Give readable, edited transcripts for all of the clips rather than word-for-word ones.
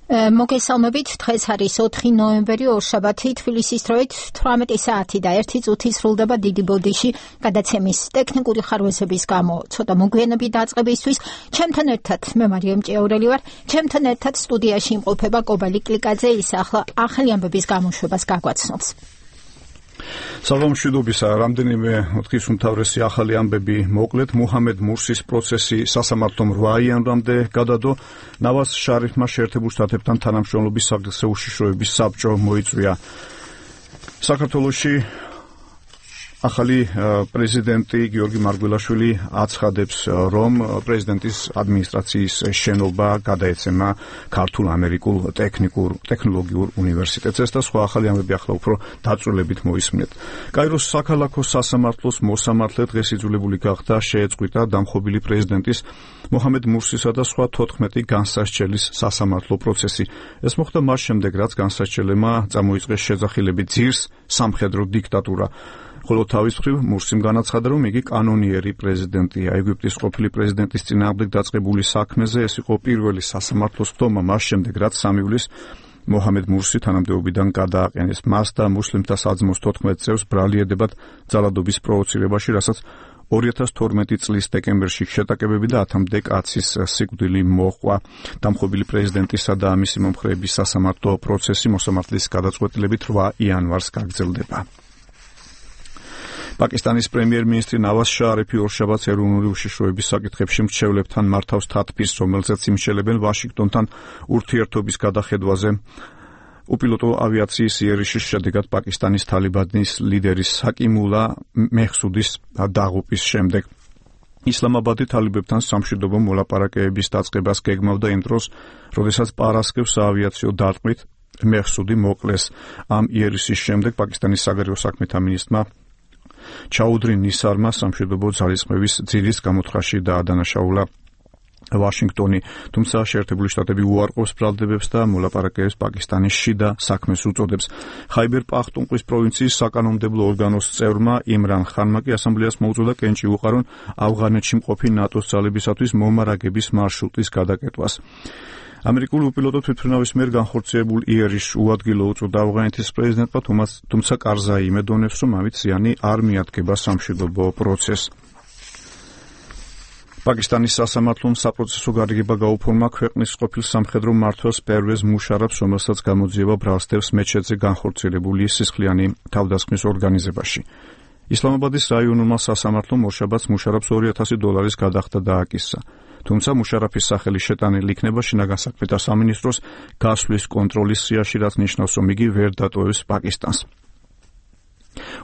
მოგესალმებით, დღეს არის 4 ნოემბერი, ორშაბათი, თბილისის დროით 18 საათი და 1 წუთი სრულდება დიდი ბოდიში გადაცემის ტექნიკური ხარვეზების გამო. ცოტა მოგვიანებით დაწყებისთვის ჩემთან ერთად მე მარიამ ჭიაურელი ვარ, ჩემთან ერთად სტუდიაში იმყოფება კობალი კლიკაძე, ის ახალი ამბების გამოშვებას გაგვაცნობს. საღამოშვიდობისა, რამდენიმე დღის უმთავრესი ახალი ამბები მოკლედ. მუჰამედ მურსის პროცესი სასამართლომ 8 იანვრამდე გადადო. ნავაზ შარიფმა შეერთებულ შტატებთან თანამშრომლობის საგრძე უშიშროების საბჭო მოიწვია. საქართველოში ახალი პრეზიდენტი გიორგი მარგველაშვილი აცხადებს, რომ პრეზიდენტის ადმინისტრაციის შენობა გადაეცემა ქართულ-ამერიკულ ტექნოლოგიურ უნივერსიტეტს და სხვა ახალი ამბები ახლა უფრო დაწვრილებით მოისმინეთ. კაიროს საქალაქო სასამართლოს მოსამართლე დღეს იძულებული გახდა შეეწყვიტა დამხობილი პრეზიდენტის მუჰამედ მურსისა და სხვა 14 განსასჯელის სასამართლო პროცესი. ეს მოხდა მას შემდეგ, რაც განსასჯელებმა წამოიწყეს შეძახილები ძირს სამხედრო დიქტატურა. ხოლო თავის მხრივ მურსიმ განაცხადა, რომ იგი კანონიერი პრეზიდენტია. ეგვიპტის ყოფილი პრეზიდენტის წინააღმდეგ დაწყებული საქმეზე ეს იყო პირველი სასამართლოს ხდომა მას შემდეგ, რაც 3 ივლისს მუჰამედ მურსი თანამდებობიდან გადააყენეს. მას და მუსლიმთა საძმოს 14 წევრს ბრალი ედებათ ძალადობის პროვოცირებაში, რასაც 2012 წლის დეკემბერში შეტაკებები და 10-მდე კაცის სიკვდილი მოჰყვა. დამხობილი პრეზიდენტისა და მისი მომხრეების სასამართლო პროცესი მოსამართლის გადაწყვეტილებით 8 იანვარს გაგრძელდება. პაკისტანის პრემიერ-მინისტრი ნავაზ შარიფი ორშაბათს ეროვნული უშიშროების საკითხებში მრჩევლებთან მართავს თათბირს, რომელზეც იმშელებენ ვაშინგტონთან ურთიერთობის გადახედვაზე. უპილოტო ავიაციის იერიშის შედეგად პაკისტანის თალიბანის ლიდერის საკიმულა მეჰსუდის დაღუპვის შემდეგ ისლამაბადი თალიბებთან სამშვიდობო მოლაპარაკებების დაწყებას გეგმავდა იმ დროს, როდესაც პარასკევს საავიაციო დარტყმით მეჰსუდი მოკლეს. ამ იერიშის შემდეგ პაკისტანის საგარეო საქმეთა მინისტრმა ჩაუდრი ნისარმა სამშვიდობო ძალისხმევის ძირის გამოთხრაში დაადანაშაულა ვაშინგტონი, თუმცა შეერთებული შტატები უარყოფს ბრალდებებს და მოლაპარაკებებს პაკისტანის შიდა საქმეს უწოდებს. ხაიბერ პახტუნყვის პროვინციის საკანონმდებლო ორგანოს წევრმა იმრან ხანმა კი ასამბლეას მოუწოდა კენჭი უყარონ ავღანეთში მყოფი ნატოს ძალებისათვის მომარაგების მარშრუტის გადაკეტვას. ამერიკული უპილოტო თვითმფრინავის მიერ განხორციელებულ იერიშს უადგილო უწოდა ავღანეთის პრეზიდენტმა, თუმცა კარზაი იმედოვნებს, რომ ამით ზიანი არ მიადგება სამშვიდობო პროცესს. პაკისტანის სასამართლომ საპროცესო გარიგება გაუფორმა ქვეყნის ყოფილ სამხედრო მმართველს პერვეზ მუშარაფს, რომელსაც გამოძიება ბრალსდევს მეჩეთზე განხორციელებული სისხლიანი თავდასხმის ორგანიზებაში. ისლამაბადის რაიონულმა სასამართლომ ორშაბათს მუშარაფს $2,000 გადახდა დააკისრა. თუმცა მუშარაფის სახელი შეტანილი იქნება შინაგან საქმეთა სამინისტროს გასვლის კონტროლის სიაში, რაც ნიშნავს, რომ იგი ვერ დატოვებს პაკისტანს.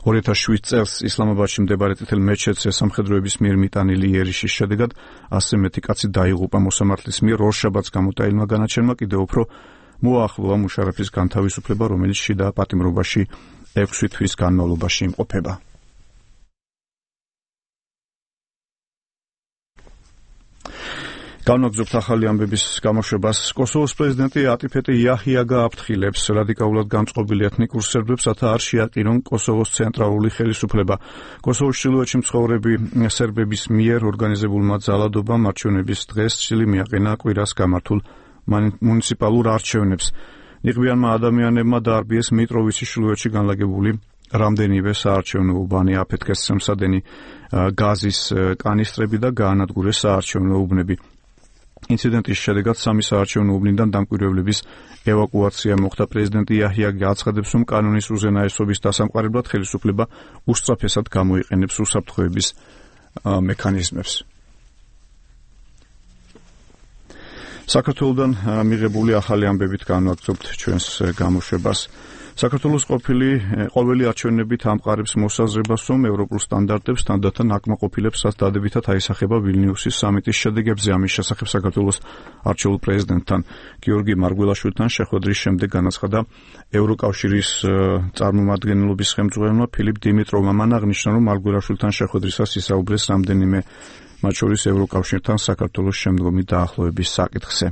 2007 წელს ისლამაბადში მდებარე წითელ მეჩეთზე სამხედროების მიერ მიტანილი იერიშის შედეგად 100 მეტი კაცი დაიღუპა. მოსამართლის მიერ ორშაბათს გამოტანილმა განაჩენმა კიდევ უფრო მოაახლოა მუშარაფის განთავისუფლება, რომელიც შიდა პატიმრობაში 6 თვის განმავლობაში იმყოფება. განვაგრძობთ ახალი ამბების გამოშვებას. კოსოვოს პრეზიდენტი ატიფეტი იაჰია გააფრთხილებს რადიკალურად განწყობილ ეთნიკურ სერბებს, რათა არ შეაყირონ კოსოვოს ცენტრალური ხელისუფლება. კოსოვოს ჩრდილოეთში მცხოვრები სერბების მიერ ორგანიზებულმა ძალადობამ არჩევნების დღეს წილი მიაყენა კვირას გამართულ მუნიციპალურ არჩევნებს. ნიღბიანმა ადამიანებმა დაარბიეს მიტროვიცის ჩრდილოეთში განლაგებული რამდენივე საარჩევნო უბანი, აფეთქეს სამსადენი გაზის კანისტრები და გაანადგურეს საარჩევნო უბნები. ინციდენტის შედეგად 3 საარჩევნო უბნიდან დამკვირვებლების ევაკუაცია მოხდა. პრეზიდენტი იაჰია გააცხადებს, რომ კანონის უზენაესობის დასამყარებლად ხელისუფლება უსწრაფესად გამოიყენებს უსაფრთხოების მექანიზმებს. საქართველოდან მიღებული ახალი ამბებით განვაგრძობთ ჩვენს გამოშვებას. საქართველოს ყოველი არჩევნებით ამყარებს მოსაზრებას, რომ ევროპულ სტანდარტებს თანდათან აკმაყოფილებსაც დადებითად აისახება ვილნიუსის სამიტის შედეგებზე. ამის შესახებ საქართველოს არჩეულ პრეზიდენტთან გიორგი მარგველაშვილთან შეხვედრის შემდეგ განაცხადა ევროკავშირის წარმომადგენლობის ხელმძღვანელმა ფილიპ დიმიტროვმა. მან აღნიშნა, რომ მარგველაშვილთან შეხვედრისას ისაუბრეს რამდენიმე, მათ შორის ევროკავშირთან საქართველოს შემდგომი დაახლოების საკითხზე.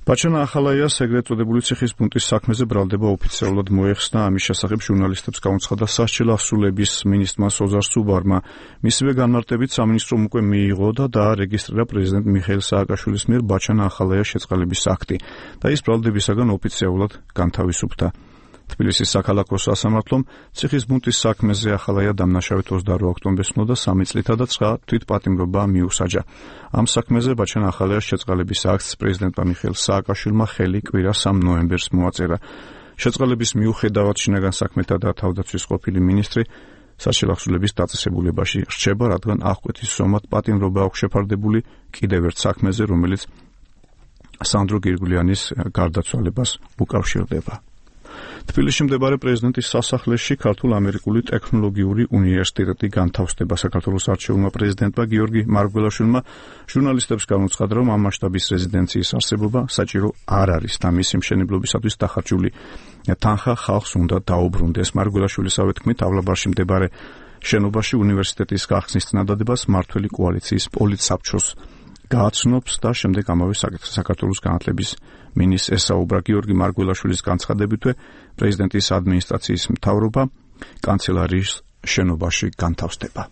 ბაჩანა ახალაიას ეგრეთ წოდებული ციხის პუნქტის საქმეზე ბრალდება ოფიციალურად მოეხსნა. ამის შესახებ ჟურნალისტებს გაუცხადა სასჯელ ასრულების მინისტრმა ოზარ სუბარმა. მისივე განმარტებით სამინისტრომ უკვე მიიღო და დაარეგისტრირა პრეზიდენტ მიხეილ სააკაშვილის მიერ ბაჩანა ახალაიას შეწყალების აქტი და ის ბრალდებისაგან ოფიციალურად განთავისუფლდა. თბილისის საქალაქო სასამართლომ ციხის პუნქტის საქმეზე ახალაია დამნაშავედ 28 ოქტომბერს და 3 წლითა და 9 თვითპატიმრობა მიუსაჯა. ამ საქმეზე ბაჩანა ახალაიას შეწყალების აქტს პრეზიდენტმა მიხეილ სააკაშვილმა ხელი კვირა 3 ნოემბერს მოაწერა. შეწყალების მიუხედავად შინაგან საქმეთა და თავდაცვის ყოფილი მინისტრი სასჯელ ასრულების დაწესებულებაში რჩება, რადგან აღკვეთის სომად პატიმრობა აქვს შეფარდებული კიდევ ერთ საქმეზე, რომელიც სანდრო გირგვლიანის გარდაცვალებას უკავშირდება. თბილისში მდებარე პრეზიდენტის სასახლეში ქართულ-ამერიკული ტექნოლოგიური უნივერსიტეტი განთავსდება. საქართველოს არჩეულმა პრეზიდენტმა გიორგი მარგველაშვილმა ჟურნალისტებს განუცხადა, რომ ამ მასშტაბის რეზიდენციის არსებობა საჭირო არ არის და მისი მშენებლობისათვის დახარჯული თანხა ხალხს უნდა დაუბრუნდეს. მარგველაშვილისავე თქმით, ავლაბარში მდებარე შენობაში უნივერსიტეტის გახსნის წინადადებას მმართველი კოალიციის პოლიტსაბჭოს გააცნობს და შემდეგ ამავე საკითხზე საქართველოს განათლების მინისტრს ესაუბრა. გიორგი მარგველაშვილის განცხადებითვე პრეზიდენტის ადმინისტრაციის მთავრობა კანცელარიის შენობაში განთავსდება.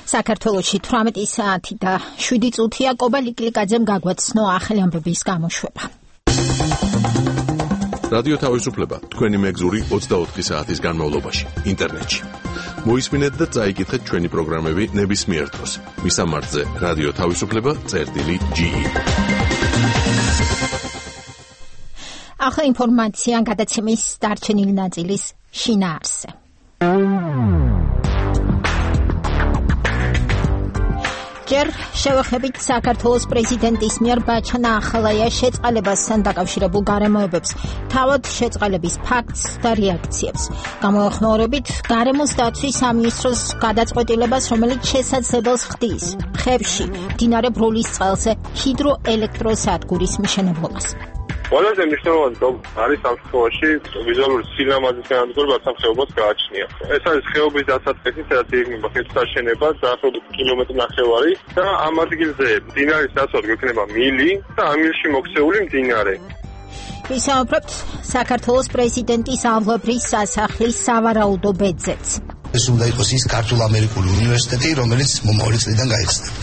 საქართველოში 18 საათი და 7 წუთია. კობა ლიკლიკაძემ გაგვაცნო ახალი ამბების გამოშვება. რადიო თავისუფლება თქვენი მეგზური 24 საათის განმავლობაში ინტერნეტში. მოისმინეთ და წაიკითხეთ ჩვენი პროგრამები ნებისმიერ დროს. მისამართზე რადიო თავისუფლება.ge. ახლა ინფორმაცია გადაცემის დარჩენილი ნაწილის შინაარსზე. ჯერ შევეხებით საქართველოს პრეზიდენტის მიერ ბაჩანა ახალაიას შეწყალებასთან დაკავშირებულ გარემოებებს, თავად შეწყალების ფაქტს და რეაქციებს. გამოეხმაურებით გარემოს დაცვის სამინისტროს გადაწყვეტილებას, რომელიც შესაძლებელს ხდის ხევში მდინარე ბროლის წყალზე ჰიდროელექტროსადგურის მშენებლობას. ყველაზე მნიშვნელოვანი არის ამ შემთხვევაში ვიზუალური სილამაზის განადგურება ამ ხეობას გააჩნია. ეს არის ხეობის დასაწყისი, სადაც იგეგმება ხეობის შენება დაახლოებით კილომეტრი ნახევარი და ამ ადგილზე მდინარის დასაწყისი იქნება მილი და ამ მილში მოქცეული მდინარე. ვისაუბრებთ საქართველოს პრეზიდენტის ავლაბრის სასახლის სავარაუდო ბედზეც. ეს უნდა იყოს ის ქართულ-ამერიკული უნივერსიტეტი, რომელიც მომავალი წლიდან გაიხსნება.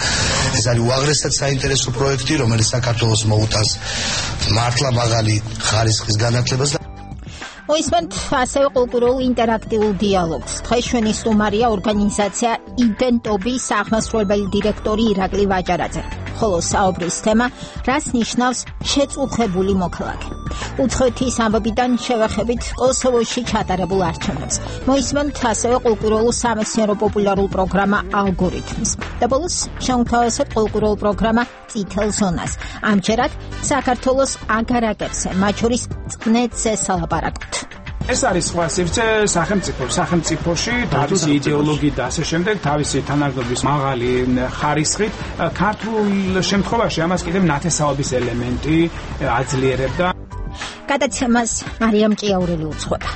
ეს არის უაღრესად საინტერესო პროექტი, რომელიც საქართველოს მოუტანს მართლა მაღალი ხარისხის განათლებას. მოისმენთ ასევე კულტურულ ინტერაქტიულ დიალოგს. დღეს ჩვენი სტუმარია ორგანიზაცია იდენტობის აღმასრულებელი დირექტორი ირაკლი ვაჭარაძე. ხოლო საუბრის თემა რას ნიშნავს შეწუხებული მოქალაქე. უცხოეთის ამბებიდან შევეხებით კოსოვოში ჩატარებულ არჩევნებს. მოისმენთ ასევე კულტურულ სამეცნიერო პოპულარულ პროგრამა ალგორითმს. და ბოლოს შევთავაზებთ კულტურულ პროგრამა წითელ ზონას. ამჯერად საქართველოს აგარაკებზე, მათ შორის წყნეთზე სალაპარაკობთ. ეს არის სხვა სივრცე სახელმწიფოში, თავისი იდეოლოგიით და ასე შემდეგ, თავისი თანაგდობის მაღალი ხარისხით. ქართულ შემთხვევაში ამას კიდევ ნათესაობის ელემენტი აძლიერებდა. გადაცემას მარიამ ჭიაურელი უძღვება.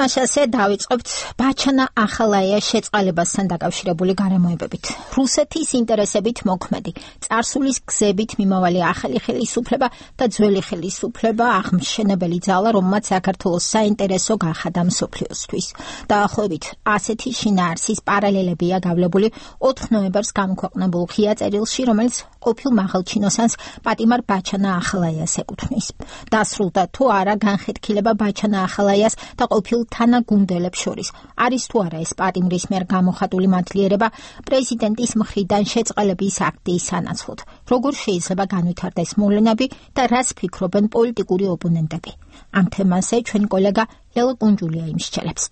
მასაზე დავიწყებთ ბაჩანა ახალაიას შეწყალებასთან დაკავშირებული გარემოებებით. რუსეთის ინტერესებით მოქმედი, წარსულის გზებით მიმავალი ახალი ხელისუფლება და ძველი ხელისუფლება აღმშენებელი ძალა, რომელმაც საქართველოს საინტერესო გახადა მსოფლიოსთვის. დაახლოებით ასეთი შინაარსის პარალელებია გავლებული 4 ნოემბერს გამოქვეყნებულ ღია წერილში, რომელიც ყოფილ მაღალჩინოსანს პატიმარ ბაჩანა ახალაიას ეკუთვნის. დასრულდა თუ არა განხეთქილება ბაჩანა ახალაიას და ყოფილ თანაგუნდელებს შორის. არის თუ არა ეს პატიმრის მიერ გამოხატული მადლიერება პრეზიდენტის მხრიდან შეწყალების აქტის სანაცვლოდ. როგორ შეიძლება განვითარდეს მოვლენები და რას ფიქრობენ პოლიტიკური ოპონენტები? ამ თემაზე ჩვენი კოლეგა ლელა კუნჯულია იმსჯელებს.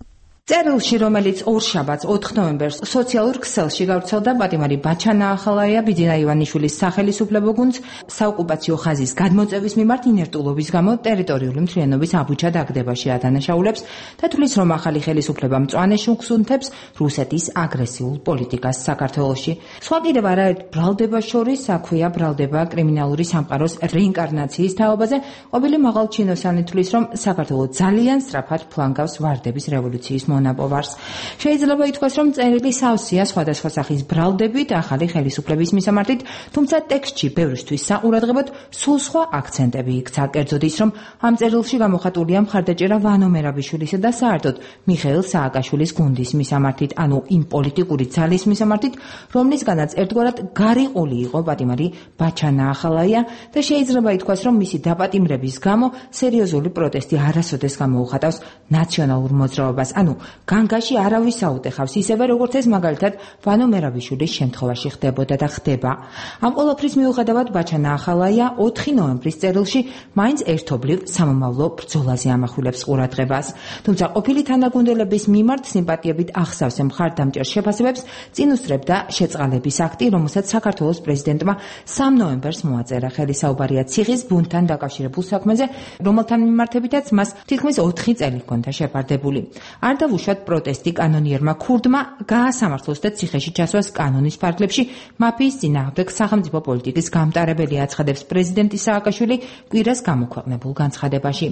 წერილში, რომელიც ორშაბათს 4 ნოემბერს სოციალურ ქსელში გავრცელდა, პატიმარი ბაჩანა ახალაია ბიძინა ივანიშვილის სახელისუფლებო გუნდს საოკუპაციო ხაზის გადმოწევის მიმართ ინერტულობის გამო ტერიტორიული მთლიანობის აბუჩა დაგდებაში ადანაშაულებს და თვლის, რომ ახალი ხელისუფლება მწვანე შუქს უნთებს რუსეთის აგრესიულ პოლიტიკას საქართველოში. სხვა კიდევ არაერთ ბრალდებას შორის აქვეა ბრალდება კრიმინალური სამყაროს რეინკარნაციის თაობაზე. ყოფილი მაღალჩინოსანი თვლის, რომ საქართველო ძალიან სწრაფად ფლანგავს ვარდების რევოლუციის მონაპოვარს. შეიძლება ითქვას, რომ წერილი სავსეა სხვადასხვა სახის ბრალდებით ახალი ხელისუფლების მისამართით, თუმცა ტექსტში ბევრისთვის საყურადღებოდ სულ სხვა აქცენტები იქცა. კერძოდ ის, რომ ამ წერილში გამოხატულია მხარდაჭერა ვანო მერაბიშვილისა და საერთოდ მიხეილ სააკაშვილის გუნდის მისამართით, ანუ იმ პოლიტიკური ძალის მისამართით, რომლისგანაც ერთგვარად გარიყული იყო პატიმარი ბაჩანა ახალაია და შეიძლება ითქვას, რომ მისი დაპატიმრების გამო სერიოზული პროტესტი არასოდეს გამოუხატავს ნაციონალურ მოძრაობას, ანუ განგაში არავის აუტეხავს, ისევე როგორც ეს მაგალითად ვანო მერაბიშვილის შემთხვევაში ხდებოდა და ხდება. ამ ყველაფრის მიუხედავად ბაჩანა ახალაია 4 ნოემბრის წერილში მაინც ერთობლივ სამომავლო ბრძოლაზე ამახვილებს ყურადღებას. თუმცა ყოფილი თანაგუნდელების მიმართ სიმპათიებით ახსავს მხარდამჭერ შეფასებებს, წინ უსწრებდა შეწყალების აქტი, რომელსაც საქართველოს პრეზიდენტმა 3 ნოემბერს მოაწერა. ხელისაუბარია ციხის ბუნტთან დაკავშირებულ საქმეზე, რომელთან მიმართებითაც მას თითქმის 4 წელი ჰქონდა შეფარდებული. არ დავუშვათ პროტესტი კანონიერმა ქურდმა გაასამართლოს და ციხეში ჩასვას კანონის ფარგლებში მაფიის წინააღმდეგ სახელმწიფო პოლიტიკის გამტარებელი აცხადებს პრეზიდენტი სააკაშვილი კვირას გამოქვეყნებულ განცხადებაში.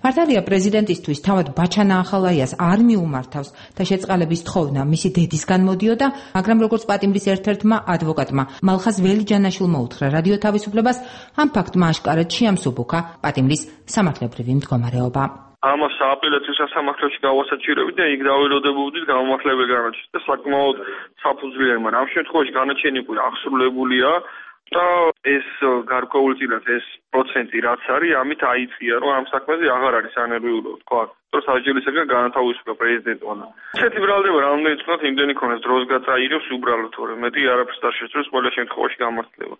მართალია პრეზიდენტისთვის თავად ბაჩანა ახალაიას არ მიუმართავს და შეწყალების თხოვნა მისი დედისგან მოდიოდა, მაგრამ როგორც პატიმრის ერთ-ერთმა ადვოკატმა მალხაზ ველიჯანაშვილმა უთხრა რადიო თავისუფლებას, ამ ფაქტმა აშკარად შეამსუბუქა პატიმრის სამართლებრივი მდგომარეობა. ამას სააპელაციო სასამართლოში გავასაჩირებით და იქ დაველოდებოდით გამომართლებელი განაჩენი და საკმაოდ საფუძვლიანი, მაგრამ ამ შემთხვევაში განაჩენი აღსრულებულია და ეს გარკვეული წილად ეს პროცენტი რაც არის, ამით აიწია, რომ ამ საქმეზე აღარ არის ანერვიულო, თქვა. რომ საჯელისაგან განათავისუფლა პრეზიდენტმა. ესეთი ბრალდება რამდენი წუთად იმდენი ქონდეს დროს გაწაირებს უბრალოდ, თორემ მეტი არაფერს არ შეძლებს ყველა შემთხვევაში გამართლება.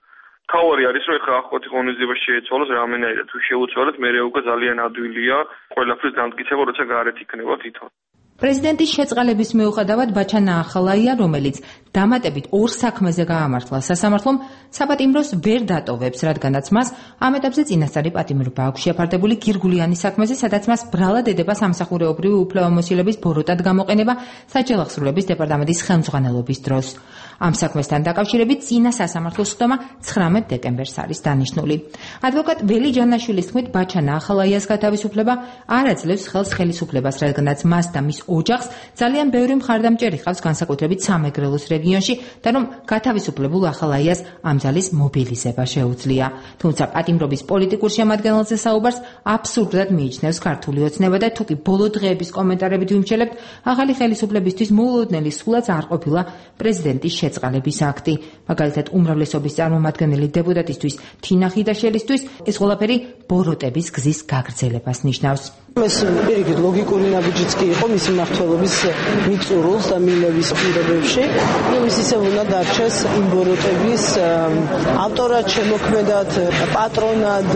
თავარი არის, რომ ეხლა ახოთი ღონისძიება შეეცვალოს რამენაირად, თუ შეუცვალოთ, მე უკვე ძალიან ადვილია ყველაფრის დამტკიცება, როცა გარეთ იქნება თვითონ. პრეზიდენტის შეწყალების მიუხედავად ბაჩანა ახალაია, რომელიც დამატებით 2 საქმეზე გაამართლა სასამართლომ, საპატიმროს ვერ დატოვებს, რადგანაც მას ამ ეტაპზე წინასწარი პატიმრობა აქვს შეფარდებული გირგულიანის საქმეზე, სადაც მას ბრალად ედება სამსახურეობრივი უფლებამოსილების ბოროტად გამოყენება საჯელახსრულების დეპარტამენტის ხელმძღვანელობის დროს. ამ საქმესთან დაკავშირებით წინა სასამართლოს ხდომა 19 დეკემბერს არის დანიშნული. ადვოკატ ველიჯანაშვილის თქმით, ბაჩანა ახალაიას გათავისუფლება არ აძლევს ხელს ხელისუფლებას, რადგანაც მას და მის ოჯახს ძალიან ბევრი მხარდამჭერი ჰყავს განსაკუთრებით სამეგრელოს რეგიონში და რომ გათავისუფლებულ ახალაიას ამ ძალის მობილიზება შეუძლია. თუმცა პატიმრობის პოლიტიკურ შემადგენელზე საუბარს აბსურდად მიიჩნევს ქართული ოცნება და თუკი ბოლო დღეების კომენტარებით ვიმჩელებთ, ახალი ხელისუფლებისთვის მოულოდნელი სულაც არ ყოფილა პრეზიდენტის შეწყალების აქტი. მაგალითად, უმრავლესობის წარმომადგენელი დეპუტატისთვის თინა ხიდაშელისთვის ეს ყველაფერი ბოროტების გზის გაგრძელებას ნიშნავს. ეს პირიქით ლოგიკური ნაბიჯიც კი იყო მისი მმართველობის მიწურულს და მილების პირობებში, რომ ის ისევ უნდა დარჩეს იმ ბოროტების ავტორად, შემოქმედად, პატრონად,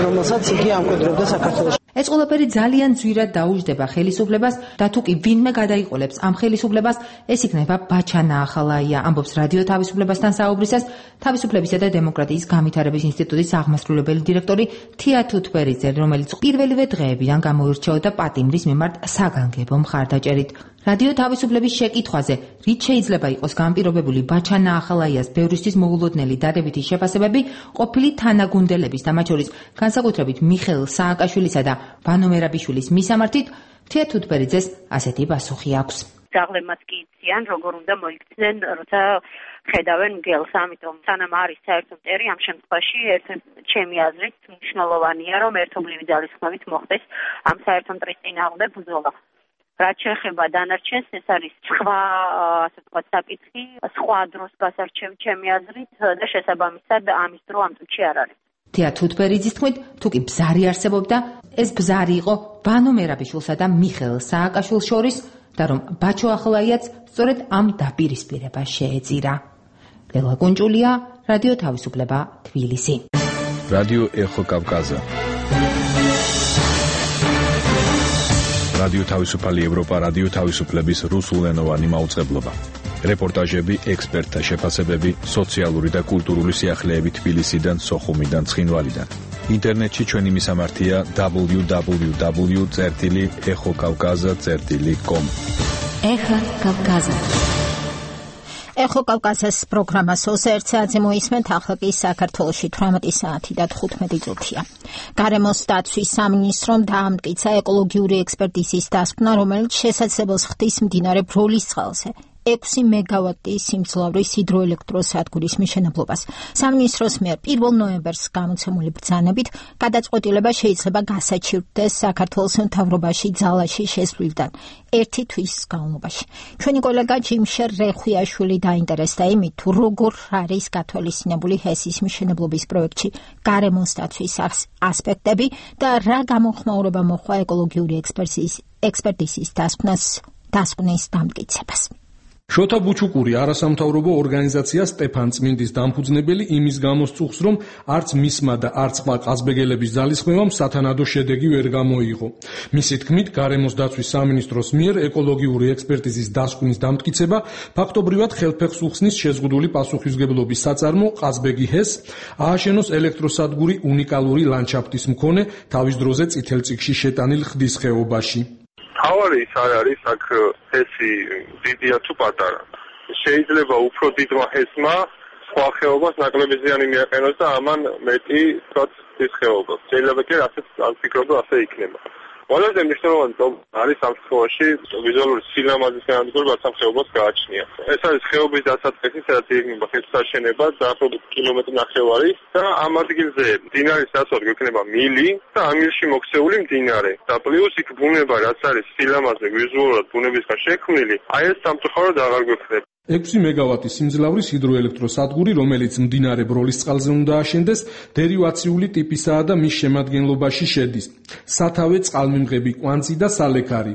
რომელსაც იგი ამკვიდრებდა საქართველოში. ეს ყველაფერი ძალიან ძვირად დაუჯდება ხელისუფლებას და თუკი ვინმე გადაიყოლებს ამ ხელისუფლებას, ეს იქნება ბაჩანა ახალაია, ამბობს რადიო თავისუფლებასთან საუბრისას თავისუფლებისა და დემოკრატიის განვითარების ინსტიტუტის აღმასრულებელი დირექტორი თია თუთბერიძე, რომელიც პირველივე დღეებიდან გამოირჩეოდა პატიმრის მიმართ საგანგებო მხარდაჭერით. რადიო თავისუფლების შეკითხვაზე, რით შეიძლება იყოს განპირობებული ბაჩანა ახალაიას ბევრისთვის მოულოდნელი დადებითი შეფასებები, ყოფილი თანაგუნდელების და მათ შორის განსაკუთრებით მიხეილ სააკაშვილისა და ვანო მერაბიშვილის მისამართით, თია თუთბერიძეს ასეთი პასუხი აქვს. ძაღლებმაც კი იციან, როგორ უნდა მოიქცნენ, როცა ხედავენ მგელს, ამიტომ სანამ არის საერთო მტერი, ამ შემთხვევაში ჩემი აზრით მნიშვნელოვანია, რომ ერთობლივი ძალისხმევით მოხდეს ამ საერთო მტრის წინააღმდეგ ბრძოლა. რაც შეეხება დანარჩენს, ეს არის სხვა, ასე ვთქვათ, საკითხი, სხვა დროს გასარჩევი ჩემი აზრით და შესაბამისად ამის დრო ამ წუთში არ არის. თია თუთბერიძის თქმით, თუკი ბზარი არსებობდა, ეს ბზარი იყო ვანო მერაბიშვილსა და მიხეილ სააკაშვილს შორის და რომ ბაჩო ახალაიაც სწორედ ამ დაპირისპირებას შეეწირა. ლელა გუნჭულია, რადიო თავისუფლება, თბილისი. რადიო ეხო კავკაზა. რადიო თავისუფალი ევროპა, რადიო თავისუფლების რუსულენოვანი მაუწყებლობა. რეპორტაჟები, ექსპერტთა შეფასებები, სოციალური და კულტურული სიახლეები თბილისიდან, სოხუმიდან, ცხინვალიდან. ინტერნეტში ჩვენი მისამართია www.ეხოკავკაზა.com. ეხა კავკაზა. ეხო კავკაზას პროგრამას 21 საათზე მოისმენთ, ახლა კი საქართველოში 18 საათი და 15 წუთია. გარემოს დაცვის სამინისტრომ დაამტკიცა ეკოლოგიური ექსპერტიზის დასკვნა, რომელიც შესაძლებელს ხდის მდინარე ბროლის წყალზე 6 მეგავატის სიმძლავრის ჰიდროელექტროსადგურის მშენებლობას. სამინისტროს მიერ 1 ნოემბერს გამოცემული ბრძანებით გადაწყვეტილება შეიძლება გასაჩივრდეს საქართველოს მთავრობაში ძალაში შესვლიდან 1 თვის განმავლობაში. ჩვენი კოლეგა ჯიმშერ რეხვიაშვილი დაინტერესდა იმით, თუ როგორ არის გათვალისწინებული ჰესის მშენებლობის პროექტში გარემოს დაცვის ასპექტები და რა გამოხმაურება მოჰყვა ეკოლოგიური ექსპერტიზის დასკვნის დამტკიცებას. შოთა ბუჩუკური არასამთავრობო ორგანიზაცია სტეფან წმინდის დამფუძნებელი იმის გამოსწუხს, რომ არც მისმა და არც ყმა ყაზბეგელების ძალისხმევამ სათანადო შედეგი ვერ გამოიღო. მისი თქმით, გარემოს დაცვის სამინისტროს მიერ ეკოლოგიური ექსპერტიზის დასკვნის დამტკიცება ფაქტობრივად ხელფეხს უხსნის შეზღუდული პასუხისმგებლობის საწარმო ყაზბეგი ჰეს, ააშენოს ელექტროსადგური უნიკალური ლანდშაფტის მქონე თავის დროზე წითელ წიგნში შეტანილ ხდის ხეობაში. თავარი ის არის აქ ჰესი დიდია თუ პატარა. შეიძლება უფრო დიდმა ჰესმა სხვა ხეობას ნაკლები ზიანი მიაყენოს და ამან მეტი ის ხეობა. შეიძლება კი ასეც არ ვფიქრობ, რომ ასე იქნება. ყველაზე მნიშვნელოვანი არის ამ შემთხვევაში ვიზუალური სილამაზის განადგურება ამ ხეობას გააჩნია. ეს არის ხეობის დასაწყისი, სადაც იგნება ხელსაშენება დაახლოებით კილომეტრი ნახევარი და ამ ადგილზე მდინარის ნაცვლად გვექნება მილი და ამ მილში მოქცეული მდინარე. და პლუს იქ ბუნება, რაც არის სილამაზე ვიზუალურად ბუნებისგან შექმნილი, აი ეს სამწუხაროდ აღარ გვექნება. 6 მეგავატის სიმძლავრის ჰიდროელექტროსადგური, რომელიც მდინარე ბროლის წყალზე უნდა აშენდეს, დერივაციული ტიპისაა და მის შემადგენლობაში შედის სათავე წყალმიმღები კვანძი და სალექარი,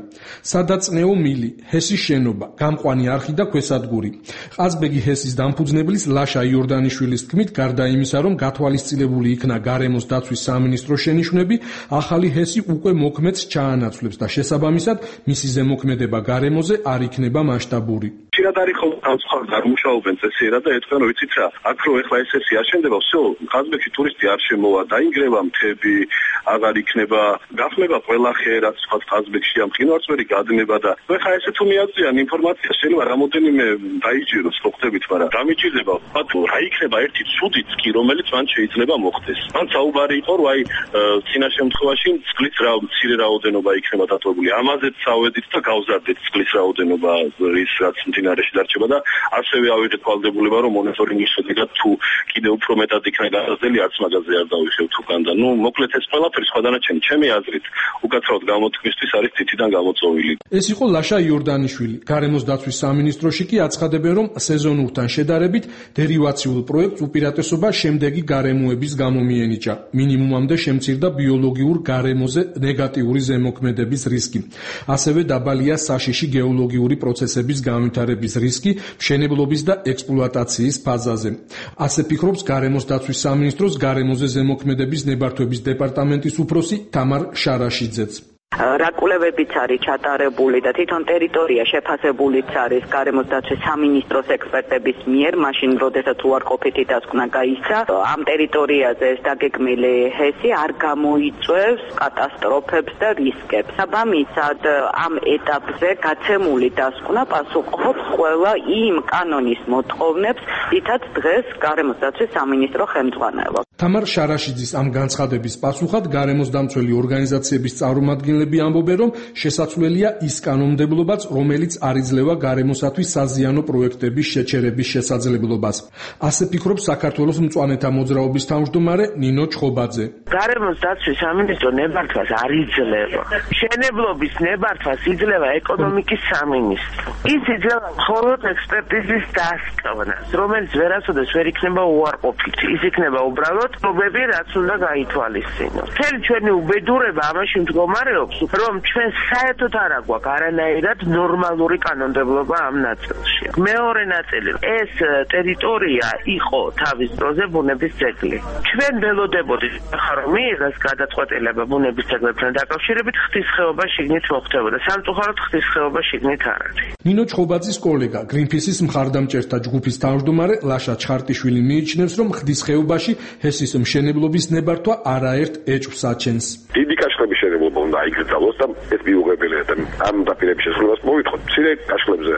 სადაწნეო მილი, ჰესის შენობა, გამყვანი არხი და ქვესადგური. ყაზბეგი ჰესის დამფუძნებლის ლაშა იორდანიშვილის თქმით, გარდა იმისა, რომ გათვალისწინებული იქნა გარემოს დაცვის სამინისტროს შენიშვნები, ახალი ჰესი უკვე მოქმედს ჩაანაცვლებს და შესაბამისად მისი ზემოქმედება გარემოზე არ იქნება მასშტაბური. ხშირად არის ხოლმე თავცხალ გამუშავებენ წესიერად და ეთქვენ, რომ იცით რა, აქ რო ეხლა ეს ესი აშენდება, всё, ყაზბეგში ტურისტი არ შემოვა, დაინგრევა მთები, აღარ იქნება, გახმება ყველა ხე, რაც თქვა ყაზბეგში ამ მყინვარწვერი გადნება და ეხლა ესე თუ მიაწვიან ინფორმაცია, შეიძლება რამოდენიმე დაიჭიროს, ხო ხდებით, მაგრამ დამიჭირდება, ბატონო, რა იქნება ერთი ცუდიც კი, რომელიც მან შეიძლება მოხდეს. მან საუბარი იყო, რომ აი წინა შემთხვევაში წყლის მცირე რაოდენობა იქნება დატოვებული. ამაზეც წავედით და გავზარდეთ წყლის რაოდენობა, ის რაც მდინარეში დარჩება და ასევე ავიღეთ ვალდებულება, რომ მონიტორინგის შედეგად თუ კიდევ უფრო მეტად იქნება გაზრდილი, არც მაგაზე არ დავიხევ თუკან და მოკლედ ეს ყველაფერი სხვა დანარჩენი ჩემი აზრით უკაცრავად გამოთქმისთვის არის თითიდან გამოწვეული. ეს იყო ლაშა იორდანიშვილი. გარემოს დაცვის სამინისტროში კი აცხადებენ, რომ სეზონურთან შედარებით დერივაციულ პროექტს უპირატესობა შემდეგი გარემოების გამო მიენიჭა. მინიმუმამდე შემცირდა ბიოლოგიურ გარემოზე ნეგატიური ზემოქმედების რისკი. ასევე დაბალია საშიში გეოლოგიური პროცესების განვითარების რისკი მშენებლობის და ექსპლუატაციის ფაზაზე. ასე ფიქრობს გარემოს დაცვის სამინისტროს გარემოზე ზემოქმედების ნებართვების დეპარტამენტის უფროსი თამარ შარაშიძეც. რა კვლევებიც არის ჩატარებული და თვითონ ტერიტორია შეფასებულიც არის გარემოს დაცვის სამინისტროს ექსპერტების მიერ, მაშინ როდესაც უარყოფითი დასკვნა გაისცა, ამ ტერიტორიაზე ეს დაგეგმილი ჰესი არ გამოიწვევს კატასტროფებს და რისკებს. საბამისად, ამ ეტაპზე გაცემული დასკვნა პასუხობს ყველა იმ კანონის მოთხოვნებს, რითაც დღეს გარემოს დაცვის სამინისტრო ხელმძღვანელობს. თამარ შარაშიძის ამ განცხადების პასუხად გარემოს დამცველი ორგანიზაციების წარმომადგენლები ამბობენ, რომ შესაძლებელია ის კანონმდებლობაც, რომელიც არ იძლევა გარემოსათვის საზიანო პროექტების შეჩერების შესაძლებლობას. ასე ფიქრობს საქართველოს მწვანეთა მოძრაობის თავმჯდომარე ნინო ჩხობაძე. გარემოს დაცვის სამინისტრო ნებართვას არ იძლევა. მშენებლობის ნებართვას იძლევა ეკონომიკის სამინისტრო. ის იძლევა მხოლოდ ექსპერტიზის დასკვნას, რომელიც ვერასოდეს ვერ იქნება უარყოფითი. ის იქნება უბრალოდ პრობლემები, რაც უნდა გაითვალისწინოს. მთელი ჩვენი უბედურება ამაში მდგომარეობს, მდებარეობს, რომ ჩვენ საერთოდ არ აგვაქვს არანაირად ნორმალური კანონმდებლობა ამ ნაწილში. მეორე ნაწილი, ეს ტერიტორია იყო თავის დროზე ბუნების ძეგლი. ჩვენ ველოდებოდით, რომ მიღეს გადაწყვეტილება ბუნების ძეგლებთან დაკავშირებით ღვთისხეობა შიგნით მოხდებოდა. სამწუხაროდ ღვთისხეობა შიგნით არ არის. ნინო ჩხობაძის კოლეგა, გრინპისის მხარდამჭერთა ჯგუფის თავმჯდომარე ლაშა ჩხარტიშვილი მიიჩნევს, რომ ღვთისხეობაში ჰესის მშენებლობის ნებართვა არაერთ ეჭვს აჩენს. დიდი კაშხლების მშენებლობა უნდა იკრძალოს და ეს მიუღებელია და ამ დაპირების შესრულებას მოვითხოთ. მცირე კაშხლებზე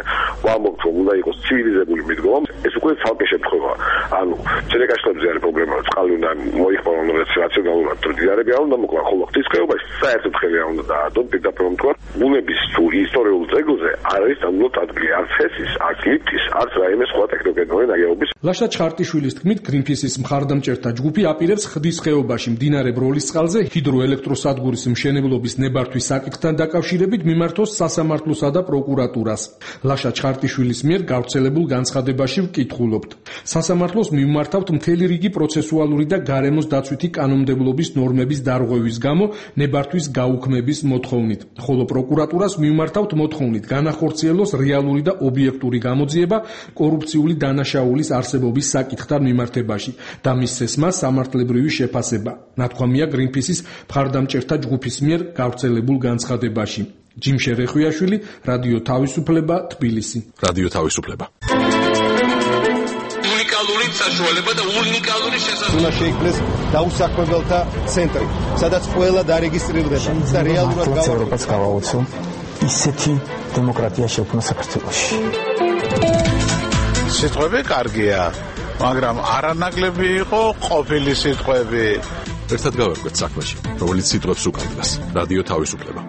ვამბობთ, რომ უნდა იყოს ცივილიზებული მიდგომა. ეს უკვე ცალკე შემთხვევაა. ანუ მცირე კაშხლებზე არის პრობლემა, წყალი უნდა მოიხმარონ რაციონალურად მდიდარები არ უნდა მოკლან, ხოლო ღვთისხეობაში საერთოდ ხელი არ უნდა დაადოთ, პირდაპირ ვთქვათ, ბუნების თუ ისტორიულ ძეგლზე არ არის დამლოთ ადგილი არც ჰესის, არც ლიფტის, არც რაიმე სხვა ტექნოგენური ნაგებობის. ლაშა ჩხარტიშვილის თქმით, გრინპისის მხარდამჭერთა ჯგუფი აპირებს ღვთისხეობაში მდინარე ბროლისწყალზე ჰიდროელექტროსადგურის მშენებლობის ნებართვის საკითხთან დაკავშირებით მიმართოს სასამართლოსა და პროკურატურას. ლაშა ჩხარტიშვილის მიერ გავრცელებულ განცხადებაში ვკითხულობთ. სასამართლოს მიმართავთ მთელი რიგი პროცესუალური და გარემოს დაცვითი კანონმდებლობის ნორმების დარღვევის გამო ნებართვის გაუქმების მოთხოვნით, ხოლო პროკურატურას მიმართავთ მოთხოვნით განახორციელოს რეალური და ობიექტური გამოძიება კორუფციული დანაშაულის არსებობის საკითხთან მიმართებაში და მისცესმა სამართლებრივი შეფასება. ნათქვამია გრინპისის მხარდამჭერთა ჯგუფის მიერ გავრცელებულ განცხადებაში. ჯიმშე რეხვიაშვილი, რადიო თავისუფლება, თბილისი. რადიო თავისუფლება. უნიკალური საშუალება და უნიკალური შესაძლებლობა. უნდა შეიქმნეს დაუსაქმებელთა ცენტრი, სადაც ყველა დარეგისტრირდება და რეალურად ევროპას გავაოცო ისეთი დემოკრატია შექმნა საქართველოში. სიტყვები კარგია, მაგრამ არანაკლები იყო ყოფილი სიტყვები. ერთად გავერკვეთ საქმეში, რომელიც სიტყვებს უკანდრას. რადიო თავისუფლება.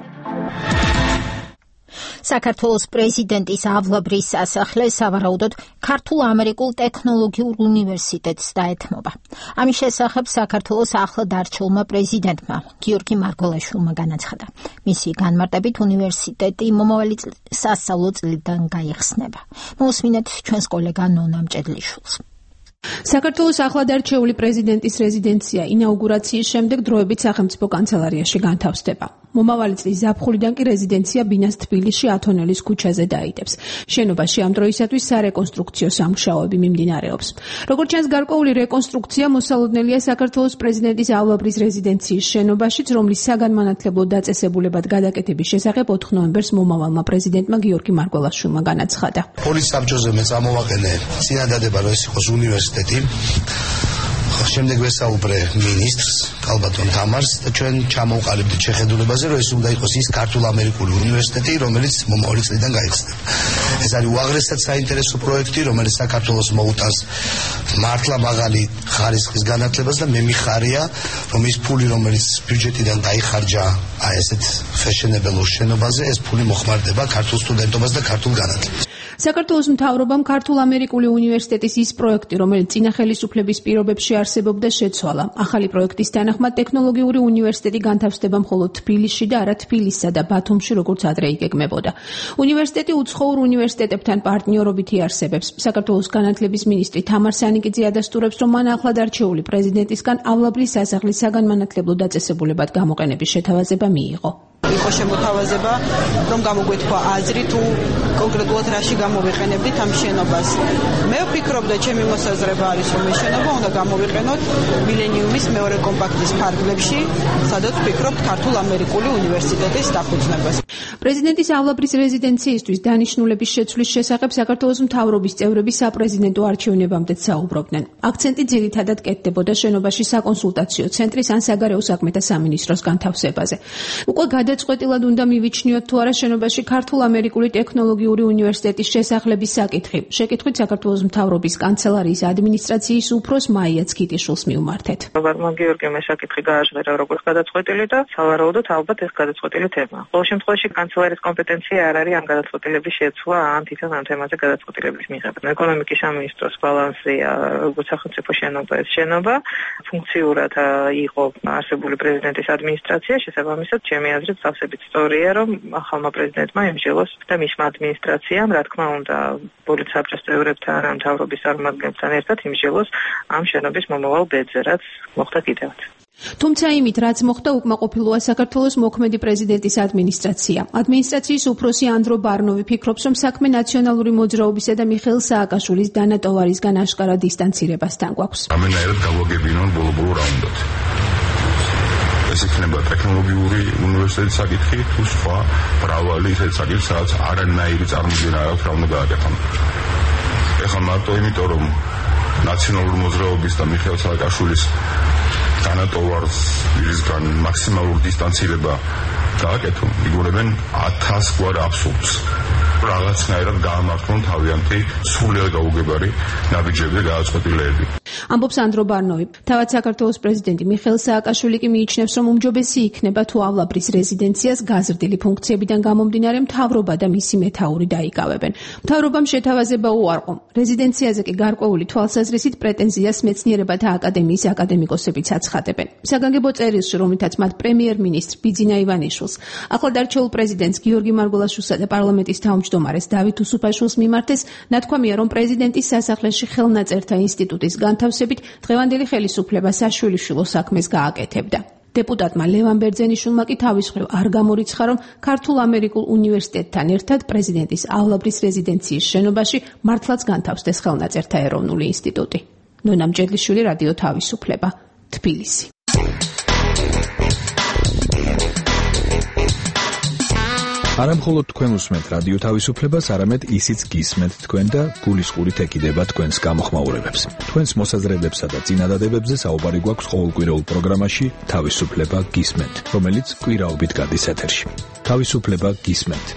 საქართველოს პრეზიდენტის ავლაბრის სასახლე სავარაუდოდ ქართულ-ამერიკულ ტექნოლოგიურ უნივერსიტეტს დაეთმობა. ამის შესახებ საქართველოს ახლად არჩეულმა პრეზიდენტმა გიორგი მარგველაშვილმა განაცხადა. მისი განმარტებით უნივერსიტეტი მომავალი სასწავლო წლიდან გაიხსნება. მოусმინეთ ჩვენს კოლეგა ნონა მჭედლიშვილს. საქართველოს ახლად არჩეული პრეზიდენტის რეზიდენცია ინაუგურაციის შემდეგ დროებით სახელმწიფო კანცელარიაში განთავსდება. მომავალი წლის ზაფხულიდან კი რეზიდენცია ბინას თბილისში ათონელის ქუჩაზე დაიდებს. შენობაში ამ დროისათვის სარეკონსტრუქციო სამუშაოები მიმდინარეობს. როგორც ჩანს, გარკვეული რეკონსტრუქცია მოსალოდნელია საქართველოს პრეზიდენტის ავლაბრის რეზიდენციის შენობაშიც, რომლის საგანმანათლებლო დაწესებულებად გადაკეთების შესახებ 4 ნოემბერს მომავალმა პრეზიდენტმა გიორგი მარგველაშვილმა განაცხადა. პოლის საბჭოზე მე წამოვაყენე წინადადება, რომ ეს იყოს უნივერსიტეტი. შემდეგ ვესაუბრე ministrs კალბატონ თამარს და ჩვენ ჩამოვყალიბდით შეხედულებაზე, რომ ეს უნდა იყოს ის ქართულ-ამერიკული უნივერსიტეტი, რომელიც მომავალი წლიდან გაიხსნება. ეს არის უაღრესად საინტერესო პროექტი, რომელიც საქართველოს მოუტანს მართლა მაღალი ხარისხის განათლებას და მე მიხარია, რომ ის ფული, რომელიც ბიუჯეტიდან დაიხარჯა ესეთ ფეშენებელ შენობაზე, ეს ფული მოხმარდება ქართულ სტუდენტობას და ქართულ განათლებას. საქართველოს მთავრობამ ქართულ-ამერიკული უნივერსიტეტის ის პროექტი, რომელიც წინა ხელისუფლების პირობებში არსებობდა, შეცვალა. ახალი პროექტის თანახმად ტექნოლოგიური უნივერსიტეტი განთავსდება მხოლოდ თბილისში და არა თბილისსა და ბათუმში, როგორც ადრე იგეგმებოდა. უნივერსიტეტი უცხოურ უნივერსიტეტებთან პარტნიორობით იარსებებს. საქართველოს განათლების მინისტრი თამარ სანიკიძე ადასტურებს, რომ მან ახლად არჩეული პრეზიდენტისგან ავლაბრის სასახლის საგანმანათლებლო დაწესებულებად გამოყენების შეთავაზება მიიღო. იყო შემოთავაზება, რომ გამოგვეთქვა აზრი თუ კონკრეტულად რაში გამოვიყენებდით ამ შენობას. მე ვფიქრობ და ჩემი მოსაზრება არის, რომ ეს შენობა უნდა გამოვიყენოთ მილენიუმის მეორე კომპაქტის ფარგლებში, სადაც ვფიქრობთ ქართულ-ამერიკული უნივერსიტეტის დახუცნებას. პრეზიდენტის ავლაბრის რეზიდენციისთვის დანიშნულების შეცვლის შესახებ საქართველოს მთავრობის წევრები საპრეზიდენტო არჩევნებამდეც საუბრობდნენ. აქცენტი ძირითადად კეთდებოდა შენობაში საკონსულტაციო ცენტრის ან საგარეო საქმეთა სამინისტროს განთავსებაზე. უკვე გადაწყვეტილად უნდა მივიჩნიოთ თუ არა შენობაში ქართულ-ამერიკული ტექნოლოგიური უნივერსიტეტის შესახლების საკითხი. შეკითხვით საქართველოს მთავრობის კანცელარიის ადმინისტრაციის უფროს მაია ცქიტიშვილს მივმართეთ. რობერტმა გიორგიმ ეს საკითხი გააჟღერა როგორც გადაწყვეტილი და სავარაუდოდ ალბათ ეს გადაწყვეტილი თემა. ყოველ შემთხვევაში კანცელარიის კომპეტენცია არ არის ამ გადაწყვეტილების შეცვლა ან თვითონ ამ თემაზე გადაწყვეტილების მიღება. ეკონომიკის სამინისტროს ბალანსია როგორც სახელმწიფო შენობა ეს შენობა ფუნქციურად იყო არსებული პრეზიდენტის ადმინისტრაცია, შესაბამისად ჩემი აზრით მსგავსებით სწორია, რომ ახალმა პრეზიდენტმა ემჯელოს და მისმა ადმინისტრაციამ, რა თქმა უნდა, ბოლით საბჭოს წევრებთან, მთავრობის წარმომადგენლებთან ერთად იმჯელოს ამ შენობის მომავალ ბედზე, რაც მოხდა კიდევაც. თუმცა იმით, რაც მოხდა, უკმაყოფილოა საქართველოს მოქმედი პრეზიდენტის ადმინისტრაცია. ადმინისტრაციის უფროსი ანდრო ბარნოვი ფიქრობს, რომ საქმე ნაციონალური მოძრაობისა და მიხეილ სააკაშვილის დანა ტოვარისგან აშკარა დისტანცირებასთან გვაქვს. ამენაერად გავაგებინონ ბოლო-ბოლო რაუნდად. ეს იქნება ტექნოლოგიური უნივერსიტეტის საკითხი თუ სხვა მრავალი ისეთი საკითხი, სადაც არანაირი წარმოდგენა არ აქვს რა უნდა გააკეთონ. ეხლა მარტო იმიტომ, რომ ნაციონალური მოძრაობის და მიხეილ სააკაშვილის დანა ტოვარისგან მაქსიმალური დისტანცირება გააკეთონ, იგონებენ 1000 გვარ აბსურდს. რაღაცნაირად გაამართლონ თავიანთი სრულიად გაუგებარი ნაბიჯები და გადაწყვეტილებები. ამბობს ანდრო ბარნოვი. თავად საქართველოს პრეზიდენტი მიხეილ სააკაშვილი კი მიიჩნევს, რომ უმჯობესი იქნება თუ ავლაბრის რეზიდენციას გაზრდილი ფუნქციებიდან გამომდინარე მთავრობა და მისი მეთაური დაიკავებენ. მთავრობამ შეთავაზება უარყო. რეზიდენციაზე კი გარკვეული თვალსაზრისით პრეტენზიას მეცნიერებათა აკადემიის აკადემიკოსებიც აცხადებენ. საგანგებო წერილში, რომლითაც მათ პრემიერ-მინისტრ ბიძინა ივანიშვილს, ახლად არჩეულ პრეზიდენტს გიორგი მარგველაშვილსა და პარლამენტის თავმჯდომარეს დავით უსუფაშვილს მიმართეს, ნათქვამია, რომ პრეზიდენტის სასახლეში ხელნაწერთა ინსტიტუტის განთავსებით დღევანდელი ხელისუფლება საშვილიშვილო საქმეს გააკეთებდა. დეპუტატმა ლევან ბერძენიშვილმა კი თავის მხრივ არ გამორიცხა, რომ ქართულ-ამერიკულ უნივერსიტეტთან ერთად პრეზიდენტის ავლაბრის რეზიდენციის შენობაში მართლაც განთავსდეს ხელნაწერთა ეროვნული ინსტიტუტი. ნონა მჭედლიშვილი, რადიო თავისუფლება, თბილისი. არამხოლოდ თქვენ უსმენთ რადიო თავისუფლებას, არამედ ისიც გისმენთ თქვენ და გულისყურით ეკიდება თქვენს გამოხმაურებებს. თქვენს მოსაზრებებსა და წინადადებებზე საუბარი გვაქვს ყოველკვირეულ პროგრამაში თავისუფლება გისმენთ, რომელიც კვირაობით გადის ეთერში. თავისუფლება გისმენთ.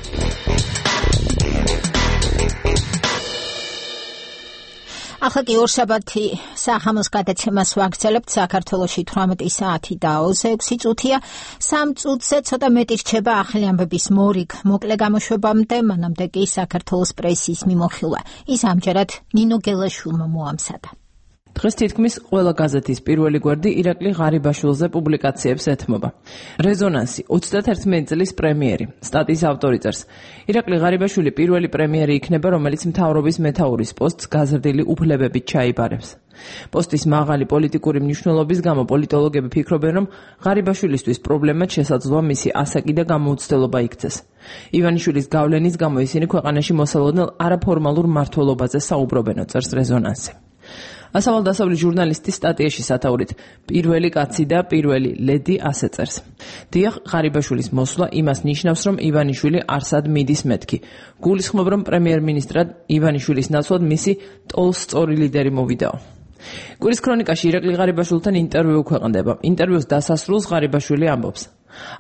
ახლა კი ორშაბათი სახამოს გადაცემას ვაგრძელებთ. საქართველოში 18 საათი და 26 წუთია. 3 წუთზე ცოტა მეტი რჩება ახალი ამბების მორიგ მოკლე გამოშვებამდე, მანამდე კი საქართველოს პრესის მიმოხილვა. ის ამჯერად ნინო გელაშვილმა მოამზადა. დღეს თითქმის ყველა გაზეთის პირველი გვერდი ირაკლი ღარიბაშვილზე პუბლიკაციებს ეთმობა. რეზონანსი 31 წლის პრემიერი. სტატიის ავტორი წერს: ირაკლი ღარიბაშვილი პირველი პრემიერი იქნება, რომელიც მთავრობის მეთაურის პოსტს გაზრდილი უფლებებით ჩაიბარებს. პოსტის მაღალი პოლიტიკური მნიშვნელობის გამო პოლიტოლოგები ფიქრობენ, რომ ღარიბაშვილისთვის პრობლემად შესაძლოა მისი ასაკი და გამოუცდელობა იქცეს. ივანიშვილის გავლენის გამო ისინი ქვეყანაში მოსალოდნელ არაფორმალურ მმართველობაზე საუბრობენო, წერს რეზონანსი. ასავალ-დასავლი ჟურნალისტის სტატიაში სათაურით პირველი კაცი და პირველი ლედი ასე წერს: დიახ, ღარიბაშვილის მოსვლა იმას ნიშნავს, რომ ივანიშვილი არსად მიდის მეთქი. გულისხმობ, რომ პრემიერ-მინისტრად ივანიშვილის ნაცვლად მისი ტოლსწორი ლიდერი მოვიდაო. კვირის ქრონიკაში ირაკლი ღარიბაშვილთან ინტერვიუ ქვეყნდება. ინტერვიუს დასასრულს ღარიბაშვილი ამბობს: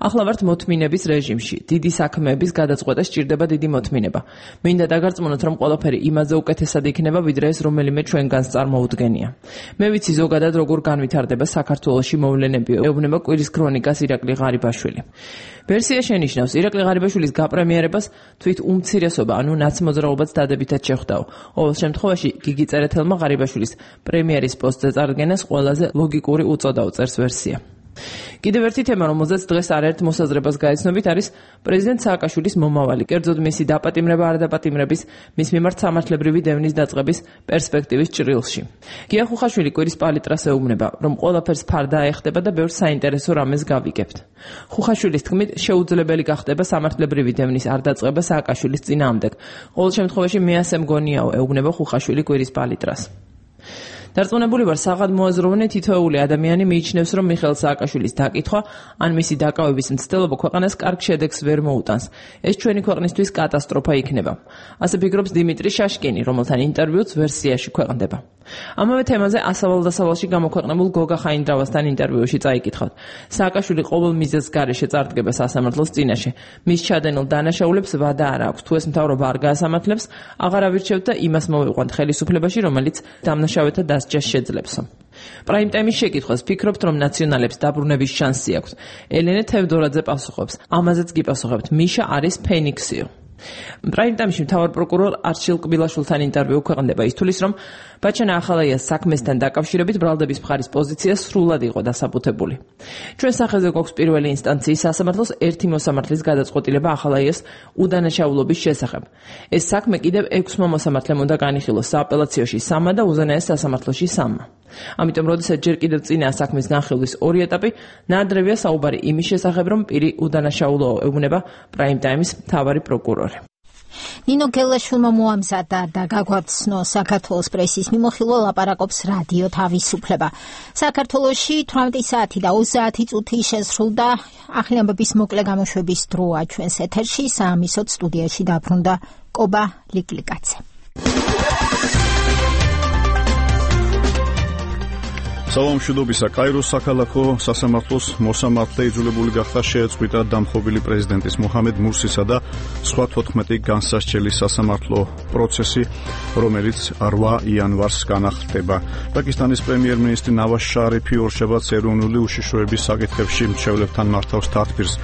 ახლა ვართ მოთმინების რეჟიმში. დიდი საქმეების გადაწყვეტა სჭირდება დიდი მოთმინება. მინდა დაგარწმუნოთ, რომ ყველაფერი იმაზე უკეთესად იქნება, ვიდრე ეს რომელიმე ჩვენგანს წარმოუდგენია. მე ვიცი ზოგადად როგორ განვითარდება საქართველოში მოვლენები, ეუბნება კვირის ქრონიკას ირაკლი ღარიბაშვილი. ვერსია შენიშნავს, ირაკლი ღარიბაშვილის გაპრემიერებას თვით უმცირესობა, ანუ ნაცმოძრაობაც დადებითად შეხვდაო. ყოველ შემთხვევაში გიგი წერეთელმა ღარიბაშვილის პრემიერის პოსტზე წარდგენას ყველაზე ლოგიკური უწოდაო, წერს ვერსია. კიდევ ერთი თემა, რომელზეც დღეს არაერთ მოსაზრებას გაეცნობით, არის პრეზიდენტ სააკაშვილის მომავალი, კერძოდ მისი დაპატიმრება არ დაპატიმრების, მის მიმართ სამართლებრივი დევნის დაწყების პერსპექტივის ჭრილში. გია ხუხაშვილი კვირის პალიტრას ეუბნება, რომ ყველაფერს ფარდა აეხდება და ბევრ საინტერესო რამეს გავიგებთ. ხუხაშვილის თქმით, შეუძლებელი გახდება სამართლებრივი დევნის არ დაწყება სააკაშვილის წინააღმდეგ. ყოველ შემთხვევაში მე ასე მგონიაო, ეუბნება ხუხაშვილი კვირის პალიტრას. დარწმუნებული ვარ, საღად მოაზროვნე თითოეული ადამიანი მიიჩნევს, რომ მიხეილ სააკაშვილის დაკითხვა ან მისი დაკავების მცდელობა ქვეყანას კარგ შედეგს ვერ მოუტანს. ეს ჩვენი ქვეყნისთვის კატასტროფა იქნება. ასე ფიქრობს დიმიტრი შაშკინი, რომელთან ინტერვიუც ვერსიაში ქვეყნდება. ამავე თემაზე ასავალ-დასავალში გამოქვეყნებულ გოგა ხაინდრავასთან ინტერვიუში წაიკითხავთ. სააკაშვილი ყოველ მიზეზს გარეშე წარდგება სასამართლოს წინაშე. მის ჩადენილ დანაშაულებს ვადა არ აქვს. თუ ეს მთავრობა არ გაასამართლებს, აღარ ავირჩევთ და იმას მოვიყვანთ ხელისუფლებაში, რომელიც დამნაშავეთა დასჯას შეძლებსო. პრაიმ ტაიმის შეკითხვას ფიქრობთ, რომ ნაციონალებს დაბრუნების შანსი აქვს. ელენე თევდორაძე პასუხობს. ამაზეც კი პასუხებთ. მიშა არის ფენიქსიო. პრაიმ-ტაიმში მთავარ პროკურორ არჩილ კბილაშვილთან ინტერვიუ ქვეყნდება ის თulis, რომ ბაჩანა ახალაიას საქმესთან დაკავშირებით ბრალდების მხარის პოზიცია სრულად იყო დასაბუთებული. ჩვენ სახეზე გვაქვს პირველი ინსტანციის სასამართლოს ერთი მოსამართლის გადაწყვეტილება ახალაიას უდანაშაულობის შესახებ. ეს საქმე კიდევ 6 მოსამართლემ უნდა განიხილოს სააპელაციოში 3 და უზენაეს სასამართლოში 3. ამიტომ, როდესაც ჯერ კიდევ წინაა საქმის განხილვის 2 ეტაპი, ნაადრევია საუბარი იმის შესახებ, რომ პირი უდანაშაულო ეუბნება პრაიმ-ტაიმის მთავარი პროკურორი. ნინო გელაშვილმა მოამზადა და გაგვაცნო საქართველოს პრესის მიმოხილვა ლაპარაკობს რადიო თავისუფლება. საქართველოში 18 საათი და 30 წუთი შესრულდა ახალამბების მოკლე გამოშვების დროა ჩვენს ეთერში. საამისოდ სტუდიაში დაბრუნდა კობა ლიკლიკაძე. სალამშვიდობისა. კაიროს საქალაქო სასამართლოს მოსამართლე იძულებული გახდა შეეწყვიტა დამხობილი პრეზიდენტის მუჰამედ მურსისა და სხვა 14 განსასჯელის სასამართლო პროცესი, რომელიც 8 იანვარს განახლდება. პაკისტანის პრემიერ-მინისტრი ნავაზ შარიფი ორშაბათს ეროვნული უშიშროების საკითხებში მრჩევლებთან მართავს თათბირს,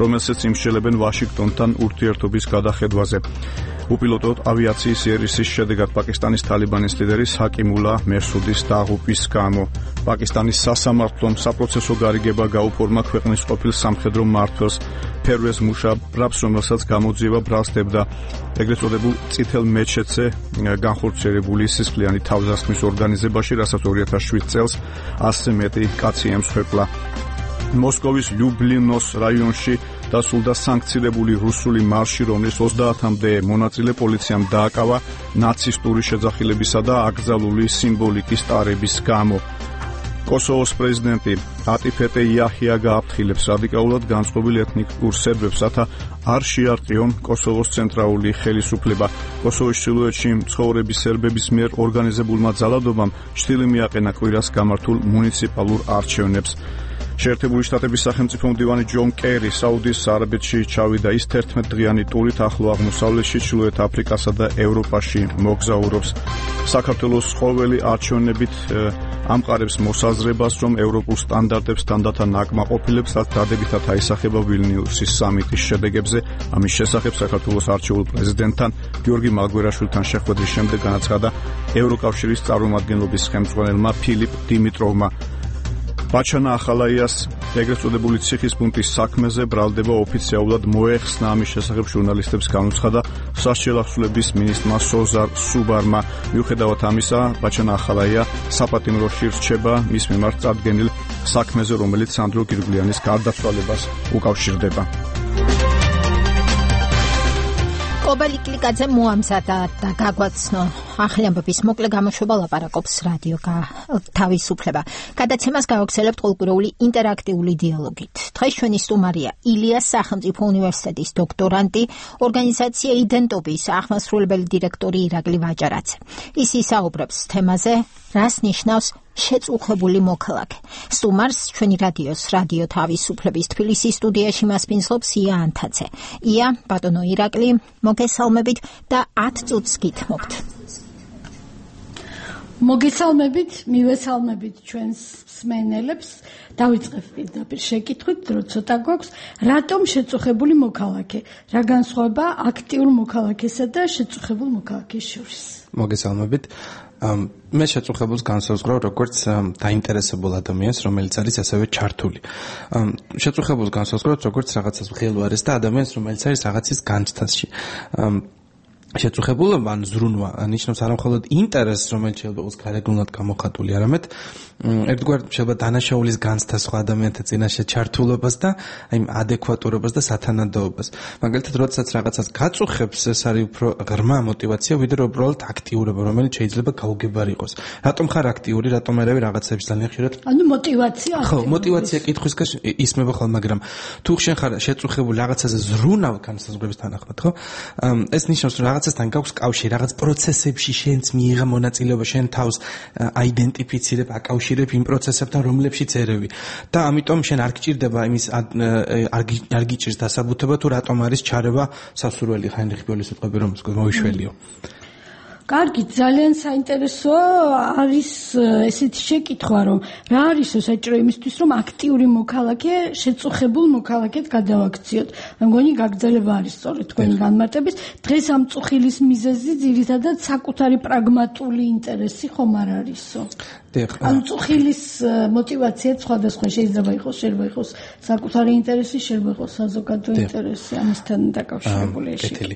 რომელსაც იმსჯელებენ ვაშინგტონთან ურთიერთობის გადახედვაზე. უპილოტო ავიაციის იერიშის შედეგად პაკისტანის თალიბანის ლიდერი ჰაკიმულა მერსუდის დაღუპვის გამო პაკისტანის სასამართლომ საპროცესო გარიგება გაუფორმა ქვეყნის ყოფილ სამხედრო მმართველს ფერვეს მუშარაფს, რომელსაც გამოძიება ბრალსდებდა ეგრეთ წოდებულ წითელ მეჩეთზე განხორციელებული სისხლიანი თავდასხმის ორგანიზებაში, რასაც 2007 წელს 100 მეტი კაცი ემსხვერპლა. მოსკოვის ლიუბლინოს რაიონში დასრულდა სანქცირებული რუსული მარში, რომლის 30-მდე მონაწილე პოლიციამ დააკავა ნაცისტური შეძახილებისა და აკრძალული სიმბოლიკის ტარების გამო. კოსოვოს პრეზიდენტი ატიფეტე იაჰია გააფრთხილებს რადიკალურად განწყობილ ეთნიკურ სერბებს, რათა არ შეარტყიონ კოსოვოს ცენტრალური ხელისუფლება. კოსოვოს ჩრდილოეთში მცხოვრები სერბების მიერ ორგანიზებულმა ძალადობამ შთილი მიაყენა კვირას გამართულ მუნიციპალურ არჩევნებს. შეერთებული შტატების სახელმწიფო მდივანი ჯონ კერი საუდის არაბეთში ჩავიდა. ის 11 დღიანი ტურით ახლო აღმოსავლეთში, ჩრდილოეთ აფრიკასა და ევროპაში მოგზაურობს. საქართველოს ყოველი არჩევნებით ამყარებს მოსაზრებას, რომ ევროპულ სტანდარტებს თანდათან აკმაყოფილებს, რაც დადებითად აისახება ვილნიუსის სამიტის შედეგებზე. ამის შესახებ საქართველოს არჩეულ პრეზიდენტთან გიორგი მალგვერაშვილთან შეხვედრის შემდეგ განაცხადა ევროკავშირის წარმომადგენლობის ხელმძღვანელმა ფილიპ დიმიტროვმა. ბაჩანა ახალაიას ეგრეთ წოდებული ციხის პუნქტის საქმეზე ბრალდება ოფიციალურად მოეხსნა. ამის შესახებ ჟურნალისტებს განუცხადა სასჯელ ახსნების მინისტრმა სოზარ სუბარმა. მიუხედავად ამისა, ბაჩანა ახალაია საპატიმროში რჩება მის მიმართ წარდგენილ საქმეზე, რომელიც სანდრო გირგვლიანის გარდაცვალებას უკავშირდება. კობა ლიკლიკაძე მოამზადა და გაგვაცნო ახალამბების მოკლე გამოშვება ლაპარაკობს რადიო თავისუფლება. გადაცემას გავაგრძელებთ ყოველკვირეული ინტერაქტიული დიალოგით. დღეს ჩვენი სტუმარია ილიას სახელმწიფო უნივერსიტეტის დოქტორანტი, ორგანიზაცია იდენტობის აღმასრულებელი დირექტორი ირაკლი ვაჯარაძე. ის ისაუბრებს თემაზე, რას ნიშნავს შეწუხებული მოქალაქე. სტუმარს ჩვენი რადიო თავისუფლების თბილისის სტუდიაში მასპინძლობს ია ანთაძე. ია, ბატონო ირაკლი, მოგესალმებით და 10 წუთს გითმობთ. მოგესალმებით, მივესალმებით ჩვენს მსმენელებს. დავიწყებ პირდაპირ შეკითხვით, დრო ცოტა გვაქვს, რატომ შეწუხებული მოქალაქე? რა განსხვავება აქტიურ მოქალაქესა და შეწუხებულ მოქალაქეს შორის? მოგესალმებით. მე შეწუხებულს განსაზღვრავ როგორც დაინტერესებულ ადამიანს, რომელიც არის ასევე ჩართული. შეწუხებულს განსაზღვრავ როგორც რაღაცას მღელვარეს და ადამიანს, რომელიც არის რაღაცის განცდაში. შეწუხებულობა ან ზრუნვა ნიშნავს არა მხოლოდ ინტერესს, რომელიც შეიძლება იყოს გარეგნულად გამოხატული, არამედ ერთგვარ შეიძლება დანაშაულის განცდა სხვა ადამიანთა წინაშე ჩართულობას და აი ადეკვატურობას და სათანადოებას. მაგალითად, როდესაც რაღაცას გაწუხებს, ეს არის უფრო ღრმა мотиваცია, ვიდრე უბრალოდ აქტიურობა, რომელიც შეიძლება გაუგებარი იყოს. რატომ ხარ აქტიური, რატომ არავი რაღაცებს ძალიან ხშირად? ანუ мотиваცია. ხო, мотиваცია კითხვისგან ისმება ხოლმე, მაგრამ თუ შენ ხარ შეწუხებული რაღაცაზე ზრუნავ განსაზღვრების თანახმად, ხო? ეს ნიშნავს, რომ რაღაცასთან გაქვს კავშირი, რაღაც პროცესებში შენც მიიღე მონაწილეობა, შენ თავს აიდენტიფიცირებ, აკავშირებ იმ პროცესებთან, რომლებშიც ერევი. და ამიტომ შენ არ გჭირდება იმის არ გიჭირს დასაბუთება, თუ რატომ არის ჩარევა სასურველი ხაინრიხ ბიოლის ეთყები, რომ მოიშველიო. კარგი, ძალიან საინტერესოა არის ესეთი შეკითხვა, რომ რა არის საჭირო იმისთვის, რომ აქტიური მოქალაქე შეწუხებულ მოქალაქედ გადავაქციოთ. მე მგონი გაგრძელება არის სწორედ თქვენი განმარტების. დღეს ამ წუხილის მიზეზი ძირითადად საკუთარი პრაგმატული ინტერესი ხომ არ არისო? ამ წუხილის мотиваციაც სხვადასხვა შეიძლება იყოს, შეიძლება იყოს საკუთარი ინტერესი, შეიძლება იყოს საზოგადო ინტერესი, ამასთან დაკავშირებული კეთილი.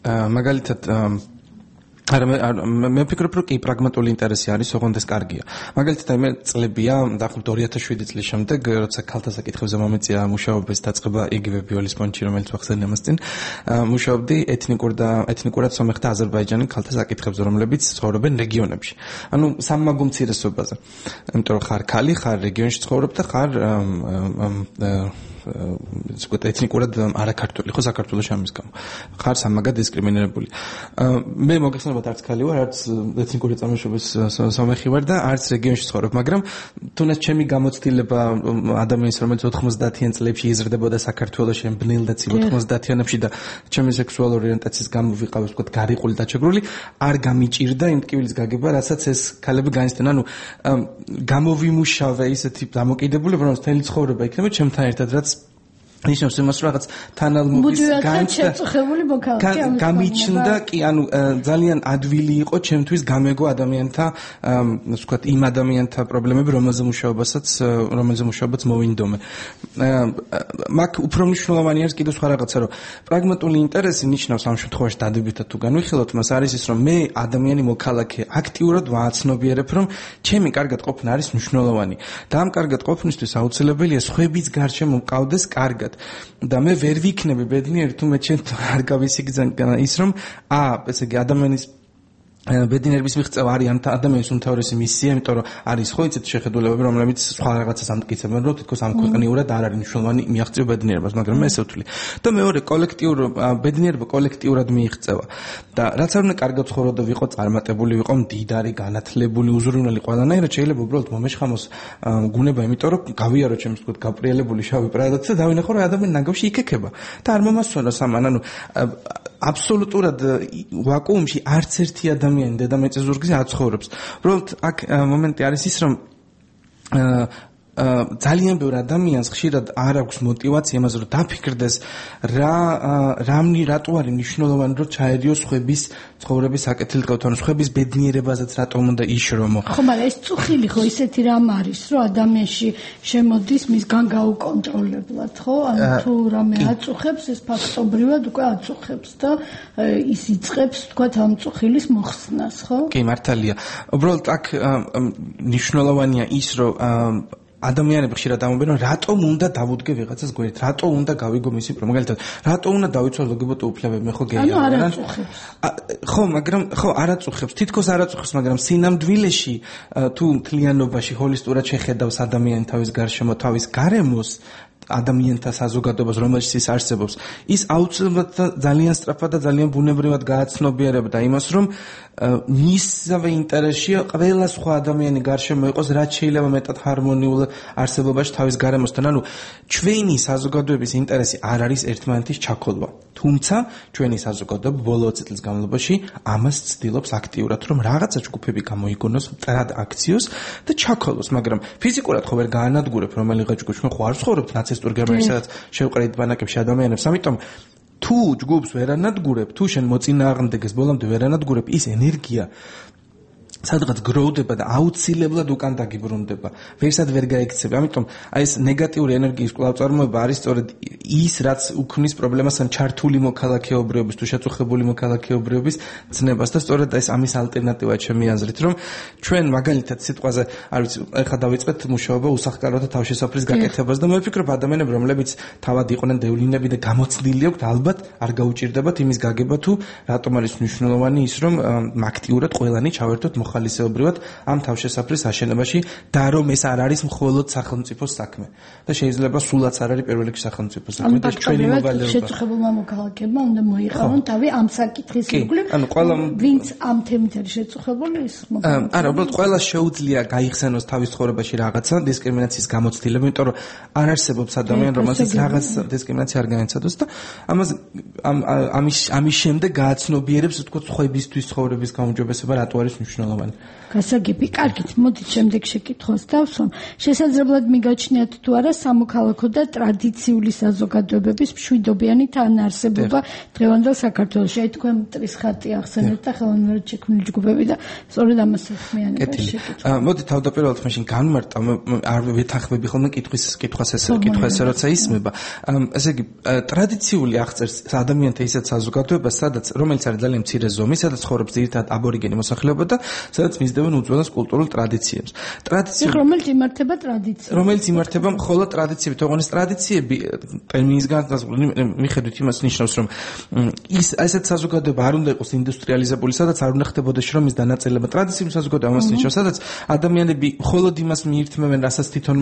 მაგალითად მე ვფიქრობ, რომ კი პრაგმატული ინტერესი არის, ოღონდ ეს კარგია. მაგალითად, მე წლებია, დაახლოებით 2007 წლის შემდეგ, როცა ქალთა საკითხებზე მომეწია მუშაობის დაწყება იგივე ბიოლის ფონდში, რომელიც ვახსენე ამას წინ, მუშაობდი ეთნიკურად სომეხ და აზერბაიჯანი ქალთა საკითხებზე, რომლებიც ცხოვრობენ რეგიონებში. ანუ სამმაგო უმცირესობაზე. იმიტომ რომ ხარ ქალი, ხარ რეგიონში ცხოვრობ და ხარ ეთნიკურად არაქართული, ხო საქართველოს ამის გამო. ხარ სამაგად დისკრიმინირებული. მე მოგეხსენებათ არც ქალი ვარ, არც ეთნიკური წარმოშობის სომეხი ვარ და არც რეგიონში ცხოვრობ, მაგრამ თუნდაც ჩემი გამოცდილება ადამიანის, რომელიც 90-იან წლებში იზრდებოდა საქართველოში, ბნელ და ცივ 90-იანებში და ჩემი სექსუალური ორიენტაციის გამო ვიყავ, ვთქვათ, გარიყული და ჩეგრული, არ გამიჭირდა იმ ტკივილის გაგება, რასაც ეს ქალები განიცდიან. ანუ გამოვიმუშავე ისეთი დამოკიდებულება, რომ მთელი ცხოვრება იქნება ჩემთან ერთად, რაც ნიშნავს იმას, რომ რაღაც თანალმობის გამიჩნდა კი, ანუ ძალიან ადვილი იყო ჩემთვის გამეგო ადამიანთა, ვთქვათ, იმ ადამიანთა პრობლემები, რომელზე მუშაობაც მოვინდომე. მაგ უფრო მნიშვნელოვანი არის კიდევ სხვა რაღაცა, რომ პრაგმატული ინტერესი ნიშნავს ამ შემთხვევაში დადებითად თუ განვიხილოთ, მას არის ის, რომ მე ადამიანი მოქალაქე აქტიურად ვააცნობიერებ, რომ ჩემი კარგად ყოფნა არის მნიშვნელოვანი და ამ კარგად ყოფნისთვის აუცილებელია სხვების გარშემო მყავდეს კარგად. და მე ვერ ვიქნები ბედნიერი თუ მე ჩემ არ გავისიგზავნა ის რომ ესე იგი ადამიანის ბედნიერების მიღწევა არის ამ ადამიანის უმთავრესი მისია, იმიტომ რომ არის ხო იცით შეხედულებები, რომლებიც სხვა რაღაცას ამტკიცებენ, რომ თითქოს ამ ქვეყნიურად არ არის მნიშვნელოვანი მიაღწიო ბედნიერებას, მაგრამ მე ესე ვთვლი. და მეორე ბედნიერება კოლექტიურად მიიღწევა. და რაც არ უნდა კარგად ცხოვრო და ვიყო წარმატებული, ვიყო მდიდარი, განათლებული, უზრუნველი ყველანაირად, შეიძლება უბრალოდ მომეშხამოს გუნება, იმიტომ რომ გავიარო ჩემს თქო გაპრიელებული შავი პრადაც და დავინახო რომ ადამიანი ნაგავში იქექება და არ მომასვენოს ამან, ანუ აბსოლუტურად ვაკუუმში არც ერთი ადამიანი დედამიწის ზურგზე არ ცხოვრობს. უბრალოდ აქ მომენტი არის ის, რომ ძალიან ბევრ ადამიანს ხშირად არ აქვს мотиваცია იმაზე, რომ დაფიქრდეს რატო არის მნიშვნელოვანი, რომ ჩაერიოს ხვების ცხოვრების საკეთილ დღევთ, ანუ ხვების ბედნიერებაზეც რატომ უნდა იშრომო. ხო, მაგრამ ეს წუხილი ხო ისეთი რამ არის, რომ ადამიანში შემოდის მისგან გაუკონტროლებლად, ხო? ანუ თუ რამე აწუხებს, ეს ფაქტობრივად უკვე აწუხებს და ის იწყებს, თქვათ, ამ წუხილის მოხსნას, ხო? კი, მართალია. უბრალოდ აქ მნიშვნელოვანია ის, რომ ადამიანები ხშირად ამბობენ, რომ რატომ უნდა დავუდგე ვიღაცას გვერდით, რატომ უნდა გავიგო მისი მაგალითად, რატომ უნდა დავიცვალ ლგბტ უფლებები, მე ხო გეია. ანუ არ აწუხებს. ხო, მაგრამ ხო არ აწუხებს, თითქოს არ აწუხებს, მაგრამ სინამდვილეში თუ მთლიანობაში ჰოლისტურად შეხედავს ადამიანი თავის გარშემო, თავის გარემოს, ადამიანთა საზოგადოებას, რომელშიც ის არსებობს, ის აუცილებლად ძალიან სწრაფად და ძალიან ბუნებრივად გააცნობიერებდა იმას, რომ მისსავე ინტერესია ყველა სხვა ადამიანი გარშემო იყოს, რაც შეიძლება მეტად ჰარმონიულ არსებობაში თავის გარემოსთან. ანუ ჩვენი საზოგადოების ინტერესი არ არის ერთმანეთის ჩაქოლვა. თუმცა ჩვენი საზოგადოება ბოლო 20 წლის განმავლობაში ამას ცდილობს აქტიურად, რომ რაღაცა ჯგუფები გამოიგონოს, მტრად აქციოს და ჩაქოლოს, მაგრამ ფიზიკურად ხო ვერ გაანადგურებ, რომელიღაც ჯგუფი ჩვენ ხო არ ვცხოვრობთ ნაცისტურ გერმანიაში, სადაც შევყრით ბანაკებში ადამიანებს, ამიტომ თუ ჯგუფს ვერ ანადგურებ, თუ შენ მოწინააღმდეგეს ბოლომდე ვერ ანადგურებ, ის ენერგია სადღაც გროვდება და აუცილებლად უკან დაგიბრუნდება. ვერსად ვერ გაიქცევი. ამიტომ აი ეს ნეგატიური ენერგიის კვლავწარმოება არის სწორედ ის, რაც უქმნის პრობლემას ან ჩართული მოქალაქეობრიობის თუ შეწუხებული მოქალაქეობრიობის ცნებას და სწორედ ეს ამის ალტერნატივაა ჩემი აზრით, რომ ჩვენ მაგალითად სიტყვაზე, არ ვიცი, ეხლა დავიწყეთ მუშაობა უსახლკაროთა თავშესაფრის გაკეთებას და მე ვფიქრობ ადამიანები, რომლებიც თავად იყვნენ დევლინები და გამოცდილი აქვთ, ალბათ არ გაუჭირდებათ იმის გაგება თუ რატომ არის მნიშვნელოვანი ის, რომ აქტიურად ყველანი ჩავერთოთ ხალისეობრივად ამ თავშესაფრის აშენებაში და რომ ეს არ არის მხოლოდ სახელმწიფოს საქმე და შეიძლება სულაც არ არის პირველ რიგში სახელმწიფოს საქმე და ჩვენი მოვალეობა შეწუხებულმა მოქალაქეებმა უნდა მოიყავონ თავი ამ საკითხის ირგვლივ ვინც ამ თემით არის შეწუხებული ის არა უბრალოდ ყველა შეუძლია გაიხსენოს თავის ცხოვრებაში რაღაცა დისკრიმინაციის გამოცდილება იმიტომ რომ არ არსებობს ადამიანი რომელსაც რაღაც დისკრიმინაცია არ განიცადოს და ამის შემდეგ გააცნობიერებს თქო ხვებისთვის ცხოვრების გაუმჯობესება რატო არის მნიშვნელოვანი გასაგები კარგით მოდით შემდეგ შეკითხვას დავსვამ შესაძლებლად მიგაჩნიათ თუ არა სამოქალაქო და ტრადიციული საზოგადოებების მშვიდობიანი თანაარსებობა დღევანდელ საქართველოში აი თქვენ მტრის ხატი ახსენეთ და ხელოვნურად შექმნილი ჯგუფები და სწორედ ამას ხმიანება შეკითხვა მოდით თავდაპირველად მაშინ განმარტა არ ვეთანხმები ხოლმე კითხვის ესე როცა ისმება ესე იგი ტრადიციული აღწერს ადამიანთა ისეთ საზოგადოებას სადაც რომელიც არის ძალიან მცირე ზომის სადაც ცხოვრობს ძირითადად აბორიგენი მოსახლეობა და სადაც მისდევენ უძველეს კულტურულ ტრადიციებს რომელიც იმართება ტრადიციები რომელიც იმართება მხოლოდ ტრადიციები თორემ ტრადიციები ტერმინის განსაზღვრული მიხედვით იმას ნიშნავს რომ ის ესეთ საზოგადოება არ უნდა იყოს ინდუსტრიალიზებული სადაც არ უნდა ხდებოდეს შრომის დანაწილება ტრადიციული საზოგადოება ამას ნიშნავს სადაც ადამიანები მხოლოდ იმას მიირთმევენ რასაც თვითონ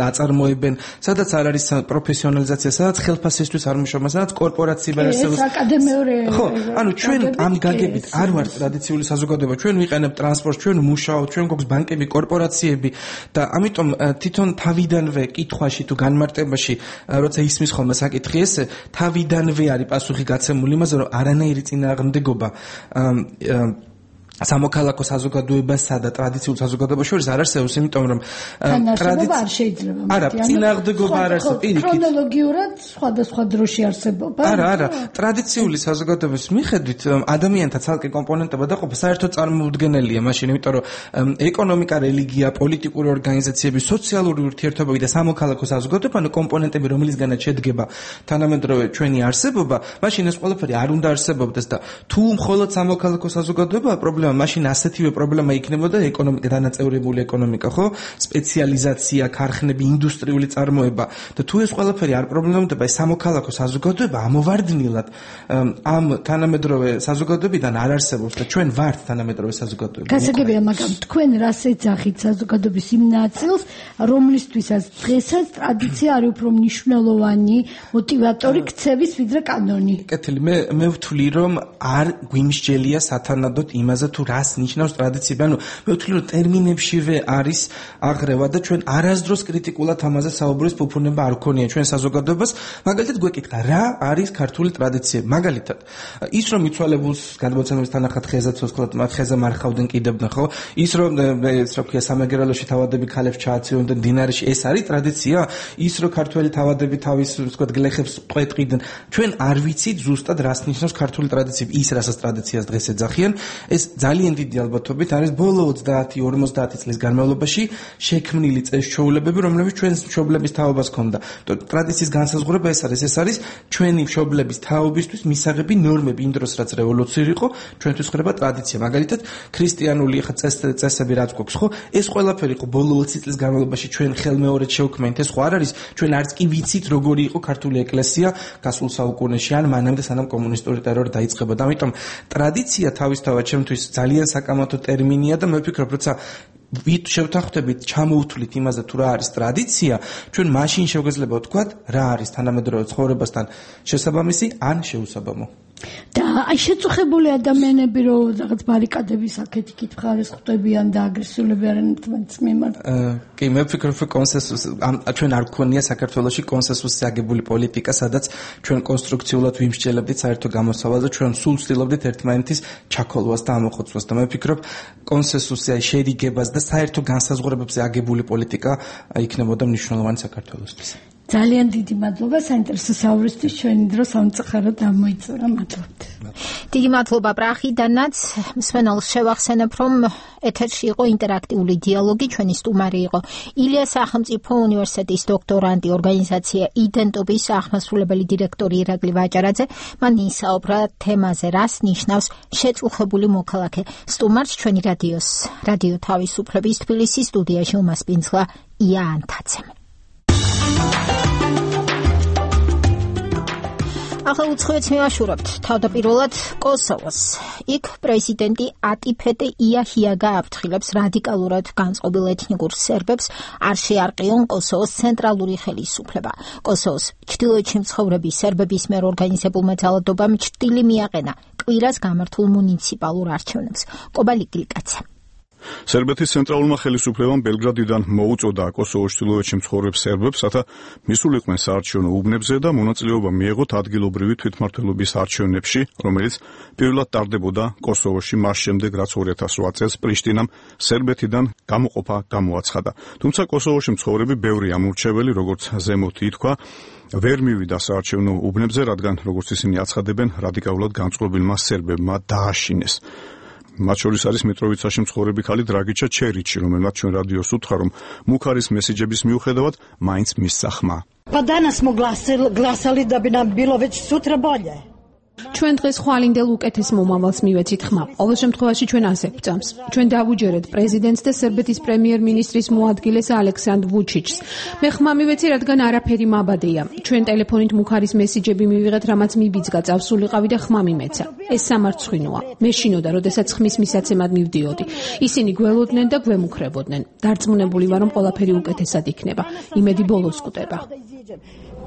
აწარმოებენ სადაც არ არის პროფესიონალიზაცია სადაც ხელფასისთვის არ მუშაობენ სადაც კორპორაციები არ არსებობს აკადემიური ხო ანუ ჩვენ ამ გაგებით არ ვართ ტრადიციული საზოგადოება ჩვენ ვიყენებთ ტრანსპორტს ჩვენ მუშაობთ ჩვენ გვაქვს ბანკები კორპორაციები და ამიტომ თვითონ თავიდანვე კითხვაში თუ განმარტებაში როცა ისმის ხოლმე საკითხი ეს თავიდანვე არის პასუხი გაცემული იმაზე რომ არანაირი წინააღმდეგობა სამოქალაქო საზოგადოებასა და ტრადიციულ საზოგადოებას შორის არ არსებობს, იმიტომ რომ ტრადიცია არ შეიძლება. არა, წინააღმდეგობა არ არსებობს. პირიქით. ქრონოლოგიურად სხვადასხვა დროში არსებობა. არა, ტრადიციული საზოგადოების მიხედვით ადამიანთა ცალკე კომპონენტება დაყოფა საერთოდ წარმოუდგენელია, მაშინ იმიტომ რომ ეკონომიკა, რელიგია, პოლიტიკური ორგანიზაციები, სოციალური ურთიერთობები და სამოქალაქო საზოგადოება, ანუ კომპონენტები, რომლისგანაც შედგება თანამედროვე ჩვენი არსებობა, მაშინ ეს ყველაფერი არ უნდა არსებობდეს და თუ მხოლოდ სამოქალაქო საზოგადოებაა მაშინ ასეთივე პრობლემა იქნებოდა ეკონომიკა დანაწევრებული ეკონომიკა, ხო? სპეციალიზაცია, ქარხნები, ინდუსტრიული წარმოება. და თუ ეს ყველაფერი არ პრობლემდებოდა, ეს სამოქალაქო საზოგადოება ამოვარდნილად ამ თანამედროვე საზოგადოებიდან არ არსებობს და ჩვენ ვართ თანამედროვე საზოგადოება. გასაგებია, მაგრამ თქვენ რას ეძახით საზოგადოების იმ ნაწილს, რომლისთვისაც დღესაც ტრადიცია არის უფრო მნიშვნელოვანი მოტივატორი ქცევის ვიდრე კანონი. კეთილი, მე ვთვლი რომ არ გვიმსჯელია სათანადოდ იმაზე თუ რას ნიშნავს ტრადიციები. ანუ მე ვთვლი რომ ტერმინებშივე არის აღრევა და ჩვენ არასდროს კრიტიკულად ამაზე საუბრის ფუფუნება არ გქონია ჩვენ საზოგადოებას. მაგალითად გვეკითხა რა არის ქართული ტრადიციები. მაგალითად ის რომ მიცვალებულს გადმოცემის თანახმად ხეზე ცოცხლად ხეზე მარხავდნენ კიდებდნენ, ხო? ის რომ ეს რა ქვია სამეგრელოში თავადები ქალებს ჩააცივებდნენ დინარში, ეს არის ტრადიცია? ის რომ ქართველი თავადები თავის ვთქვათ გლეხებს ტყვეტყიდნენ. ჩვენ არ ვიცით ზუსტად რას ნიშნავს ქართული ტრადიციები. ის რასაც ტრადიციას დღეს ეძახიან ეს ძალიან დიდი ალბათობით არის ბოლო 30-50 წლის განმავლობაში შექმნილი წესჩვეულებები, რომლებიც ჩვენს მშობლების თაობას ჰქონდა. ტრადიციის განსაზღვრება ეს არის ჩვენი მშობლების თაობისთვის მისაღები ნორმები, იმ დროს რაც რევოლუციური იყო, ჩვენთვის ხდება ტრადიცია. მაგალითად, ქრისტიანული წესები რაც გვაქვს, ხო? ეს ყველაფერი იყო ბოლო 20 წლის განმავლობაში ჩვენ ხელმეორედ შევქმნით. ეს ხო არ არის, ჩვენ არც კი ვიცით როგორი იყო ქართული ეკლესია გასულ საუკუნეში, ან მანამდე სანამ კომუნისტური ტერორი დაიწყებოდა. ამიტომ ტრადიცია თავისთავად ჩემთვის ძალიან საკამათო ტერმინია და მე ვფიქრობ, როცა შევთანხმდებით, ჩამოვთვლით იმაზე თუ რა არის ტრადიცია, ჩვენ მაშინ შეგვეძლება ვთქვათ, რა არის თანამედროვე ცხოვრებასთან შესაბამისი ან შეუსაბამო. და აი შეწუხებული ადამიანები რო რაღაც ბარიკადების აქეთ-იქით მხარეს ხვდებიან და აგრესიულები არიან ერთმანეთის მიმართ. კი, მე ვფიქრობ, რომ კონსენსუსი ჩვენ არ გქონია საქართველოში კონსენსუსი აგებული პოლიტიკა, სადაც ჩვენ კონსტრუქციულად ვიმსჯელებდით საერთო გამოსავალს და ჩვენ სულ ვცდილობდით ერთმანეთის ჩაქოლვას და ამოხოცვას და მე ვფიქრობ, კონსენსუსი აი შერიგებას და საერთო განსაზღვრებებზე აგებული პოლიტიკა იქნებოდა მნიშვნელოვანი საქართველოსთვის. ძალიან დიდი მადლობა საინტერესო საუბრისთვის. ჩვენი დრო სამწუხაროდ ამოიწურა. მადლობთ. დიდი მადლობა პრახიდანაც. მსმენელს შევახსენებ, რომ ეთერში იყო ინტერაქტიული დიალოგი. ჩვენი სტუმარი იყო ილიას სახელმწიფო უნივერსიტეტის დოქტორანტი, ორგანიზაცია იდენტობის აღმასრულებელი დირექტორი ირაკლი ვაჭარაძე. მან ისაუბრა თემაზე, რას ნიშნავს შეწუხებული მოქალაქე. სტუმარს ჩვენი რადიო თავისუფლების თბილისის სტუდიაში უმასპინძლა ია ანთაძემ. ახლა უცხოეთს მივაშურებთ თავდაპირველად კოსოვოს. იქ პრეზიდენტი ატიფეტე იაჰიაგა აფრთხილებს რადიკალურად განწყობილ ეთნიკურ სერბებს არ შეარყიონ კოსოვოს ცენტრალური ხელისუფლება. კოსოვოს ჩრდილოეთში მცხოვრები სერბების მიერ ორგანიზებულმა ძალადობამ ჭრილი მიაყენა კვირას გამართულ მუნიციპალურ არჩევნებს. კობალი გლიკაცა. სერბეთის ცენტრალურმა ხელისუფლებამ ბელგრადიდან მოუწოდა კოსოვოს ჩრდილოეთში მცხოვრებ სერბებს, რათა მისულიყვნენ საარჩევნო უბნებზე და მონაწილეობა მიეღოთ ადგილობრივი თვითმმართველობის არჩევნებში, რომელიც პირველად ტარდებოდა კოსოვოში მას შემდეგ, რაც 2008 წელს პრიშტინამ სერბეთიდან გამოყოფა გამოაცხადა. თუმცა კოსოვოში მცხოვრები ბევრი ამურჩეველი, როგორც ზემოთ ითქვა, ვერ მივიდა საარჩევნო უბნებზე, რადგან როგორც ისინი აცხადებენ, რადიკალურად განწყობილმა სერბებმა დააშინეს. მათ შორის არის მიტროვიცაში მცხოვრები ქალი დრაგიჩა ჩერიჩი, რომელმაც ჩვენ რადიოს უთხრა, რომ მუქარის მესიჯების მიუხედავად მაინც მისცა ხმა. Pa danas smo glasali da bi nam bilo već sutra bolje. ჩვენ დღეს ხვალინდელ უკეთეს მომავალს მივეცით ხმა. ყოველ შემთხვევაში ჩვენ ასე ვწამს. ჩვენ დავუჯერეთ პრეზიდენტს და სერბეთის პრემიერ-მინისტრის მოადგილეს ალექსანდრ ვუჩიჩს. მე ხმა მივეცი, რადგან არაფერი მაბადეა. ჩვენ ტელეფონით მუქარის მესიჯები მივიღეთ, რამაც მიბიძგა, წავსულიყავი და ხმა მიმეცა. ეს სამარცხვინოა. მე შინოდა, როდესაც ხმის მისაცემად მივდიოდი. ისინი გველოდნენ და გვემუქრებოდნენ. დარწმუნებული ვარ, რომ ყველაფერი უკეთესად იქნება. იმედი ბოლოს კვდება.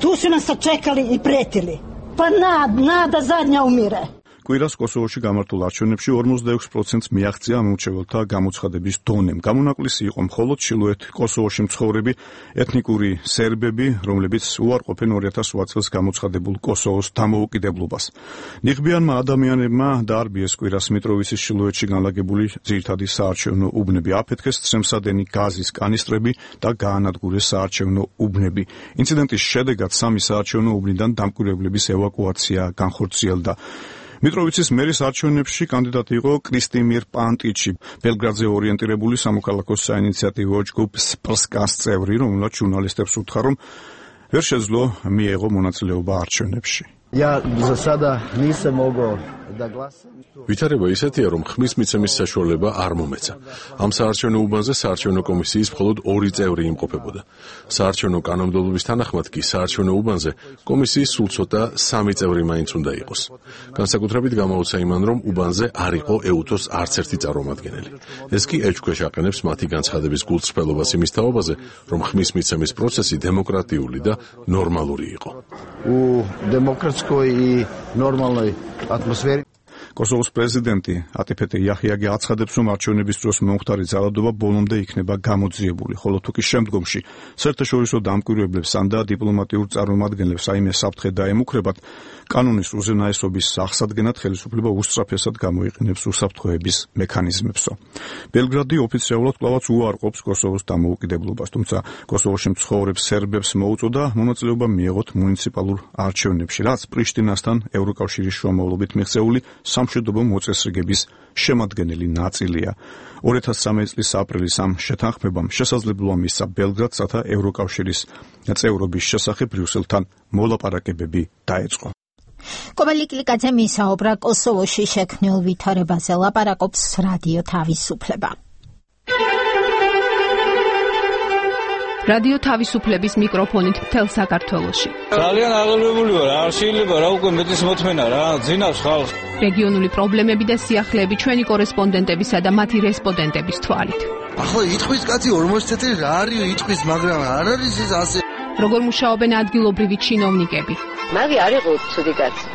Tu su nas sačekali i pretili. Pa nada zadnja umire. კვირას კოსოვოში გამართულ არჩევნებში 46%-ს მიაღწია ამურჩეველთა გამოცხადების დონემ. გამონაკლისი იყო მხოლოდ ჩრდილოეთ კოსოვოში მცხოვრები ეთნიკური სერბები, რომლებიც უარყოფენ 2008 წელს გამოცხადებულ კოსოვოს დამოუკიდებლობას. ნიღბიანმა ადამიანებმა დაარბიეს კვირას მიტროვიცის ჩრდილოეთში განლაგებული ძირითადი საარჩევნო უბნები, აფეთქეს ცრემსადენი გაზის კანისტრები და გაანადგურეს საარჩევნო უბნები. ინციდენტის შედეგად 3 საარჩევნო უბნიდან დამკვირვებლების ევაკუაცია განხორციელდა. მიტროვიცის მერის არჩევნებში კანდიდატი იყო კრისტიმირ პანტიჩი, ბელგრადზე ორიენტირებული სამოქალაქო საინიციატივო ჯგუფ სპრსკას წევრი, რომელმაც ჟურნალისტებს უთხრა, რომ ვერ შეძლო მიეღო მონაწილეობა არჩევნებში. Ja za sada nisam mogao da glasam. ვითარება ისეთია, რომ ხმის მიცემის საშუალება არ მომეცა. ამ საარჩევნო უბანზე საარჩევნო კომისიის მხოლოდ 2 წევრი იმყოფებოდა. საარჩევნო კანონმდებლობის თანახმად კი საარჩევნო უბანზე კომისიის სულ ცოტა 3 წევრი მაინც უნდა იყოს. განსაკუთრებით გამოუცა იმან, რომ უბანზე არ იყო EUTO-ს არც ერთი წარმომადგენელი. ეს კი ეჭვქვეშ აყენებს მათი განცხადების გულწრფელობას იმის თაობაზე, რომ ხმის მიცემის პროცესი დემოკრატიული და ნორმალური იყო. U demokratskoj i normalnoj atmosferi. კოსოვოს პრეზიდენტი ატიფეტე იაჰიაგა აცხადებს, რომ არჩევნების დროს მომხდარი ძალადობა ბოლომდე იქნება გამოძიებული, ხოლო თუ კი შემდგომში საერთაშორისო დამკვირვებლებს ან და დიპლომატიურ წარმომადგენლებს რაიმე საფრთხე დაემუქრებათ, კანონის უზენაესობის აღსადგენად ხელისუფლება უსწრაფესად გამოიყენებს უსაფრთხოების მექანიზმებსო. ბელგრადი ოფიციალურად კვლავაც უარყოფს კოსოვოს დამოუკიდებლობას, თუმცა კოსოვოში მცხოვრებ სერბებს მოუწოდა მონაწილეობა მიეღოთ მუნიციპალურ არჩევნებში, რაც პრიშტინასთან ევროკავშირის შუამავლობით მიღწეული სამშვიდობო მოწესრიგების შემადგენელი ნაწილია. 2013 წლის აპრილის ამ შეთანხმებამ შესაძლებლობა მისცა ბელგრადს, რათა ევროკავშირის წევრობის შესახებ ბრიუსელთან მოლაპარაკებები დაეწყო. კობალი გლიკაძე მისაუბრა კოსოვოში შექმნილ ვითარებაზე, ლაპარაკობს რადიო თავისუფლება. რადიო თავისუფლების მიკროფონით მთელ საქართველოში. ძალიან აღელვებული ვარ, არ შეიძლება რა უკვე მეტის მოთმენა რა, ძინავს ხალხს. რეგიონული პრობლემები და სიახლეები ჩვენი კორესპონდენტებისა და მათი რესპონდენტების თვალით. ახლა იტყვის კაცი 40 წელი რა არის იტყვის, მაგრამ არ არის ეს ასე. როგორ მუშაობენ ადგილობრივი ჩინოვნიკები? მაგი არ იყო ცუდი კაცი.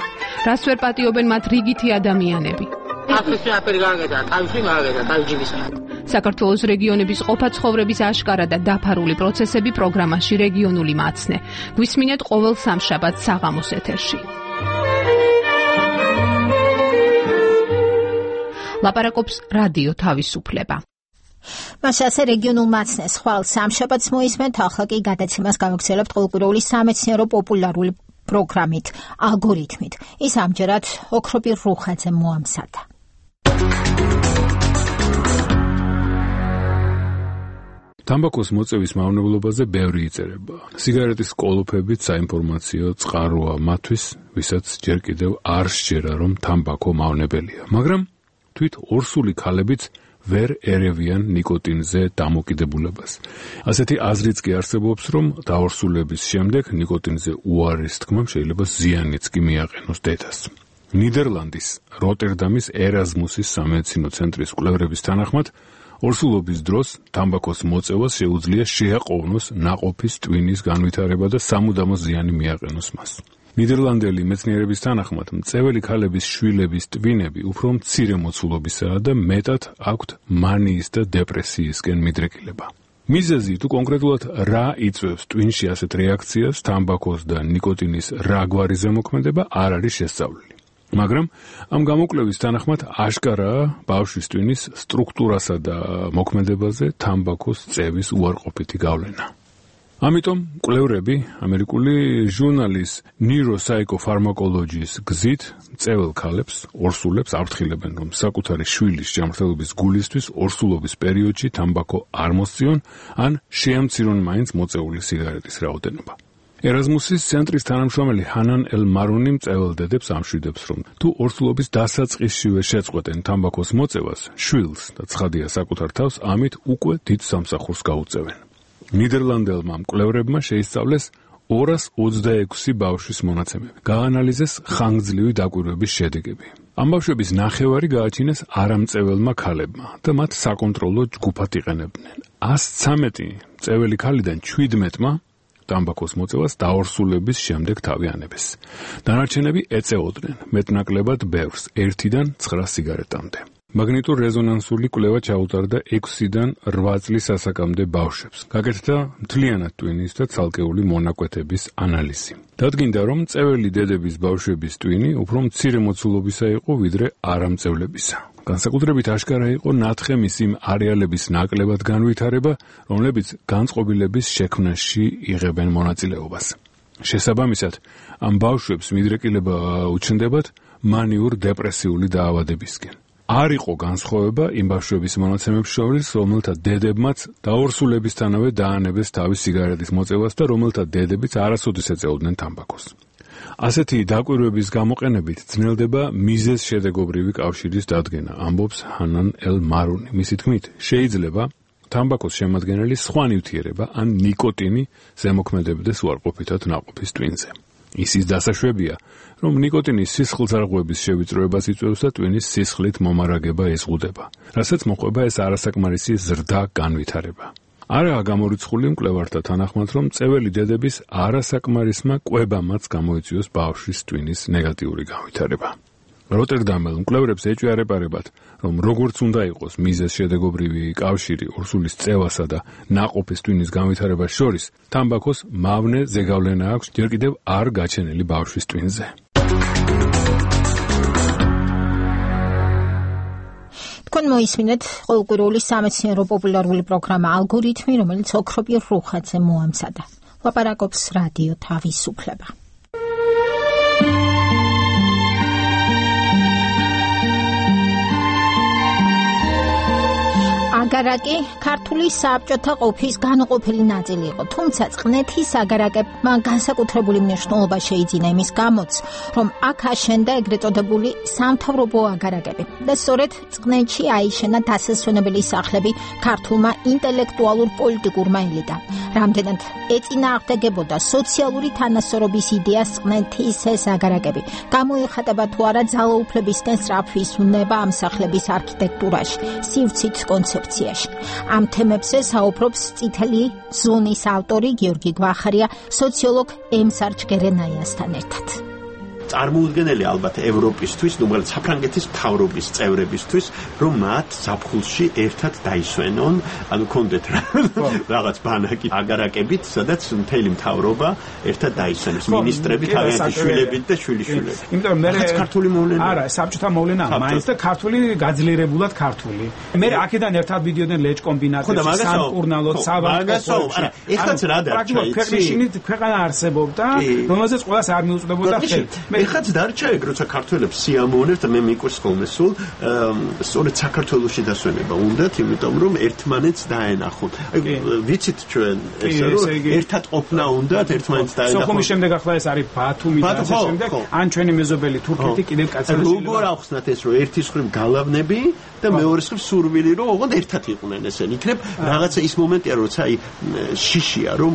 რას ვერ პატიობენ მათ რიგითი ადამიანები? აფრიკა აფერი გაგედა, თავში მაგედა, თავჯიბისა. საქართველოს რეგიონების ყოფა ცხოვრების აშკარა და დაფარული პროცესები პროგრამაში რეგიონული მაცნე. გვისმინეთ ყოველ სამშაბათს საღამოს ეთერში. ლაპარაკობს რადიო თავისუფლება. მას ასე რეგიონულ მაცნეს ხვალ სამშაბათს მოისმენთ, ახლა კი გადაცემას გავაგრძელებთ ყოველკვირეული სამეცნიერო პოპულარული პროგრამით, ალგორითმით. ის ამჯერად ოქროპირ რუხაძე მოამზადა. თამბაქოს მოწევის მავნებლობაზე ბევრი იწერება. სიგარეტის კოლოფებით საინფორმაციო წყაროა მათთვის, ვისაც ჯერ კიდევ არ სჯერა, რომ თამბაქო მავნებელია. მაგრამ თვით ორსული ქალებიც ვერ ერევიან ნიკოტინზე დამოკიდებულებას. ასეთი აზრიც კი არსებობს, რომ დაორსულების შემდეგ ნიკოტინზე უარის თქმამ შეიძლება ზიანიც კი მიაყენოს დედას. ნიდერლანდის როტერდამის ერაზმუსის სამედიცინო ცენტრის კვლევრების თანახმად, ორსულობის დროს თამბაქოს მოწევას შეუძლია შეაყოვნოს ნაყოფის ტვინის განვითარება და სამუდამო ზიანი მიაყენოს მას. ნიდერლანდელი მეცნიერების თანახმად, მწეველი ქალების შვილების ტვინები უფრო მცირე მოცულობისაა და მეტად აქვთ მანიის და დეპრესიისკენ მიდრეკილება. მიზეზი თუ კონკრეტულად რა იწვევს ტვინში ასეთ რეაქციას, თამბაქოს და ნიკოტინის რა გვარი ზემოქმედება არ არის შესწავლილი. მაგრამ ამ გამოკვლევის თანახმად აშკარაა ბავშვის ტვინის სტრუქტურასა და მოქმედებაზე თამბაქოს წევის უარყოფითი გავლენა. ამიტომ კვლევრები ამერიკული ჟურნალის Neuropsychopharmacology-ის გზით მწეվել ქალებს, ორსულებს აფრთხილებენ, რომ საკუთარი შვილის ჯანმრთელობის გულისთვის ორსულობის პერიოდში თამბაქო არ მოსწიონ, ან შეამცირონ მაინც მოწეული სიგარეტის რაოდენობა. ერაზმუსის ცენტრის თანამშრომელი ჰანან ელ მარუნი მწეվել დედებს ამშვიდებს, რომ თუ ორსულობის დასაწყისშივე შეწყვეტენ თამბაქოს მოწევას, შვილს და ცხადია საკუთარ თავს ამით უკვე დიდ სამსახურს გაუწევენ. ნიდერლანდელმა მკვლევრებმა შეისწავლეს 226 ბავშვის მონაცემები. გაანალიზეს ხანგრძლივი დაკვირვების შედეგები. ამ ბავშვების ნახევარი გააჩინეს არამწეველმა ქალებმა და მათ საკონტროლო ჯგუფად იყენებდნენ. 113 მწეველი ქალიდან 17-მა თამბაქოს მოწევას დაორსულების შემდეგ თავი ანებეს. დანარჩენები ეწეოდნენ მეტნაკლებად ბევრს 1-დან 9 სიგარეტამდე. მაგნიტურ რეზონანსული კვლევა ჩაუტარდა 6-დან 8 წლის ასაკამდე ბავშვებს. გაკეთდა მთლიანად ტვინის და ცალკეული მონაკვეთების ანალიზი. დადგინდა, რომ მწეველი დედების ბავშვების ტვინი უფრო მცირე მოცულობისა იყო ვიდრე არამწევლებისა. განსაკუთრებით აშკარა იყო ნათხემის იმ არეალების ნაკლებად განვითარება, რომლებიც განწყობილების შექმნაში იღებენ მონაწილეობას. შესაბამისად, ამ ბავშვებს მიდრეკილება უჩნდებათ მანიურ დეპრესიული დაავადებისკენ. არ იყო განსხვავება იმ ბავშვების მონაცემებს შორის, რომელთა დედებმაც დაორსულებისთანავე დაანებეს თავის სიგარეტის მოწევას და რომელთა დედებიც არასოდეს ეწეოდნენ თამბაქოს. ასეთი დაკვირვების გამოყენებით ძნელდება მიზეზ-შედეგობრივი კავშირის დადგენა, ამბობს ჰანან ელ მარუნი. მისი თქმით, შეიძლება თამბაქოს შემადგენელი სხვა ნივთიერება ან ნიკოტინი ზემოქმედებდეს უარყოფითად ნაყოფის ტვინზე. ისის დასაშვებია, რომ ნიკოტინის სისხლძარღვების შევიწროებას იწვევს და ტვინის სისხლით მომარაგება ეზღუდება, რასაც მოყვება ეს არასაკმარისი ზრდა განვითარება. არაა გამორიცხული მკვლევართა თანახმად, რომ მწეველი დედების არასაკმარისმა კვებამაც გამოიწვიოს ბავშვის ტვინის ნეგატიური განვითარება. როტერდამელ მკვლევრებს ეჭვიარებარებათ, რომ როგორც უნდა იყოს მიზეზ-შედეგობრივი კავშირი ორსულის წევასა და ნაყოფის ტვინის განვითარებას შორის, თამბაქოს მავნე ზეგავლენა აქვს ჯერ კიდევ არ გაჩენილი ბავშვის ტვინზე. თქვენ მოისმინეთ ყოველკვირეული სამეცნიერო პოპულარული პროგრამა ალგორითმი, რომელიც ოქროპირ რუხაძე მოამზადა. ლაპარაკობს რადიო თავისუფლება. აგარაკი ქართული საბჭოთა ყოფის განუყოფელი ნაწილი იყო, თუმცა წყნეთის აგარაკებმა განსაკუთრებული მნიშვნელობა შეიძინა იმის გამოც, რომ აქ აშენდა ეგრეთ წოდებული სამთავრობო აგარაკები და სწორედ წყნეთში აიშენა დასასვენებელი სახლები ქართულმა ინტელექტუალურ პოლიტიკურმა ელიტამ. რამდენად ეწინააღმდეგებოდა სოციალური თანასწორობის იდეას წყნეთის ეს აგარაკები, გამოიხატება თუ არა ძალაუფლებისკენ სწრაფვის უნება ამ სახლების არქიტექტურაში, სივრცით კონცეფციაში. ამ თემებზე საუბრობს წითელი ზონის ავტორი გიორგი გვახარია სოციოლოგ ემსარ ჯგერენაიასთან ერთად. წარმოუდგენელი ალბათ ევროპისთვის, უბრალოდ საფრანგეთის მთავრობის წევრებისთვის, რომ მათ ზაფხულში ერთად დაისვენონ, ანუ კონდეთ რაღაც ბანაკი აგარაკებით, სადაც მთელი მთავრობა ერთად დაისვენოს, მინისტრები თავიანთი შვილებით და შვილიშვილებით. იმიტომ მე ქართული მოვლენა არა, საბჭოთა მოვლენა, მაინც და ქართული გაძლიერებულად ქართული. მე აქედან ერთად მიდიოდნენ ლეჭ კომბინატებში, სამკურნალოდ, სავარცხლოდ. არა, ეხლაც რა დარჩა? ქვეყნის ქვეყანა არსებობდა, რომელზეც ყველას არ მიუწვდებოდა ხელი. ეხლაც დარჩა ეგ, როცა ქართველებს სიამოვნებთ, მე მიყვარს ხოლმე სულ, სწორედ საქართველოში დასვენება უნდათ, იმიტომ რომ ერთმანეთს დაენახონ. აი ვიცით ჩვენ ესე რომ ერთად ყოფნა უნდათ, ერთმანეთს დაენახონ. სოხუმის შემდეგ ახლა ეს არის ბათუმი და ასე შემდეგ, ან ჩვენი მეზობელი თურქეთი კიდევ კაცელებია. როგორ ახსნათ ეს რომ ერთის მხრივ გალავნები და მეორეს მხრივ სურვილი რომ ოღონდ ერთად იყვნენ ესენი. იქნებ რაღაცა ის მომენტია, როცა აი შიშია, რომ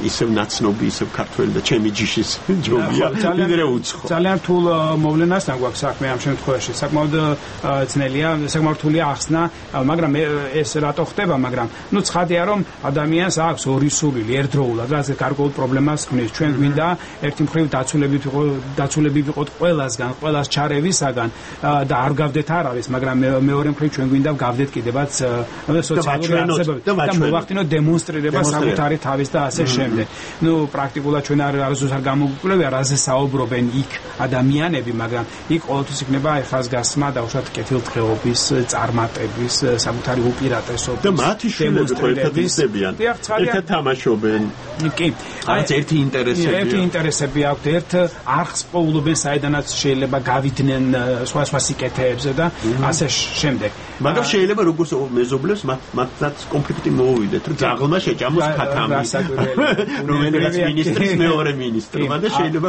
ისევ ნაცნობი, ისევ ქართველი და ჩემი ჯიშის ჯობია, ვიდრე უცხო. ძალიან რთულ მოვლენასთან გვაქვს საქმე ამ შემთხვევაში. საკმაოდ ძნელია, საკმაოდ რთულია ახსნა, მაგრამ ეს რატო ხდება, მაგრამ ცხადია რომ ადამიანს აქვს ორი სურვილი ერთდროულად, რაც გარკვეულ პრობლემას ქმნის. ჩვენ გვინდა ერთი მხრივ დაცულები ვიყოთ ყველასგან, ყველას ჩარევისაგან და არ გავდეთ არავის, მაგრამ მეორე მხრივ ჩვენ გვინდა გავდეთ კიდევაც სოციალური არსებობები და მოვახდინოთ დემონსტრირება საკუთარი თავის და ასე შემდეგ. პრაქტიკულად ჩვენ არასდროს არ გამოგვიკვლევია, რაზე საუბრობენ იქ ადამიანები, მაგრამ იქ ყოველთვის იქნება ხაზგასმა და უშუალოდ კეთილდღეობის, წარმატების, საკუთარი უპირატესობის და მათი შვილები ერთად ისებიან. ერთად თამაშობენ. კი. აი ერთი ინტერესები აქვთ, ერთ არხს პოულობენ, საიდანაც შეიძლება გავიდნენ სხვა სიკეთეებზე და ასე შემდეგ. მაგრამ შეიძლება როგორც მეზობლებს მათაც კონფლიქტი მოუვიდეთ, რომ ძაღლმა შეჭამოს ქათამი. რომელიც მინისტრის მეორე მინისტრმა და შეიძლება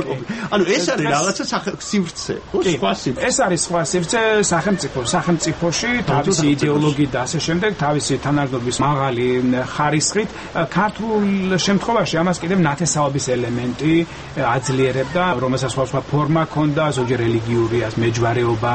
ანუ ეს არის რაღაცა სივრცე, სხვა სივრცე. ეს არის სხვა სივრცე სახელმწიფოში, თავისი იდეოლოგიით და ასე შემდეგ, თავისი თანადროობის მაღალი ხარისხით. ქართულ შემთხვევაში ამას კიდევ ნათესაობის ელემენტი აძლიერებდა, რომელსაც სხვა ფორმა ჰქონდა, ზოგჯერ რელიგიური, მეჯვარეობა,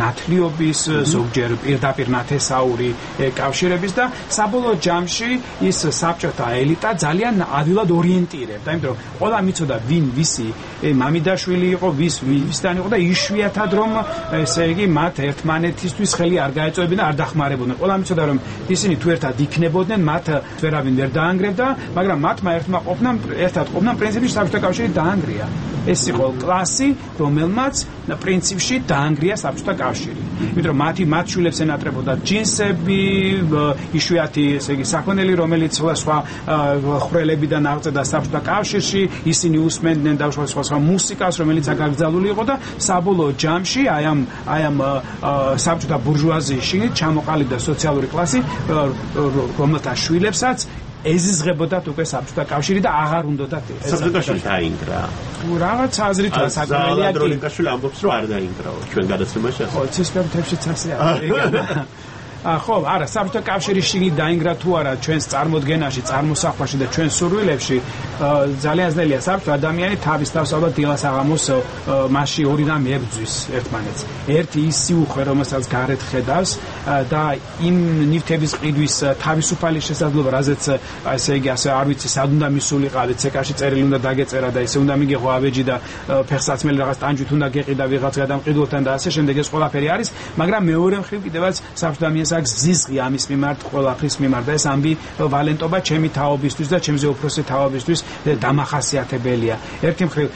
ნათლიობის, ზოგჯერ პირდაპირ ნათესაური კავშირების და საბოლოო ჯამში ის საბჭოთა ელიტა ძალიან ადვილად ორიენტირებდა, იმიტომ რომ ყველამ იცოდა ვინ ვისი მამიდაშვილი იყო, ვისთან იყო და იშვიათად რომ ესე იგი მათ ერთმანეთისთვის ხელი არ გაეწევებინა და არ დახმარებოდნენ. ყველამ იცოდა რომ ისინი თუ ერთად იქნებოდნენ, მათ ვერავინ ვერ დაანგრევდა, მაგრამ მათმა ერთად ყოფნამ პრინციპში საბჭოთა კავშირი დაანგრია. ეს იყო კლასი, რომელმაც პრინციპში დაანგრია საბჭოთა კავშირი. იმიტომ რომ მათ შვილებს ენატრებოდა ჯინსები, იშვიათი ესე იგი საქონელი, რომელიც სხვა ხვრელებიდან აღწევდა საბჭოთა კავშირში, ისინი უსმენდნენ და სხვა მუსიკას, რომელიც აკრძალული იყო და საბოლოო ჯამში აი ამ საბჭოთა ბურჟუაზიაში ჩამოყალიბდა სოციალური კლასი, რომელთა შვილებსაც ეზიზღებოდათ უკვე საბჭოთა კავშირი და აღარ უნდათ ეს. საბჭოთა კავშირი დაინგრა. რაღაც აზრითაა საკმარია კი. დროინკაშვილი ამბობს რომ არ დაინგრაო ჩვენ გადაცემაში. ხო, ცისფერთებშიც ასე არის. ხო, არა, საბჭოთა კავშირი შიგნით დაინგრა თუ არა ჩვენს წარმოდგენაში, წარმოსახვაში და ჩვენს სურვილებში, ძალიან ძნელია. საბჭოთა ადამიანი თავის თავს ალბათ დილას აღამოს მასში ორი რამ ებრძვის ერთმანეთს. ერთი ის სიუხვე, რომელსაც გარეთ ხედავს და იმ ნივთების ყიდვის თავისუფალი შესაძლებლობა, რაზეც ესე იგი ასე არ ვიცი, სად უნდა მისულიყავით, ცეკაში წერილი უნდა დაგეწერა და ესე უნდა მიგიღო ავეჯი და ფეხსაცმელი რაღაც ტანჯვით უნდა გეყიდა ვიღაც გადამყიდულთან და ასე შემდეგ ეს ყველაფერი არის, მაგრამ მეორე მხრივ კიდევაც საბჭოთა ადამიანს აქვს ზიზღი ამის მიმართ, ყველაფრის მიმართ და ეს ამბივალენტობა ჩემი თაობისთვის და ჩემზე უფროსი თაობისთვის დამახასიათებელია. ერთი მხრივ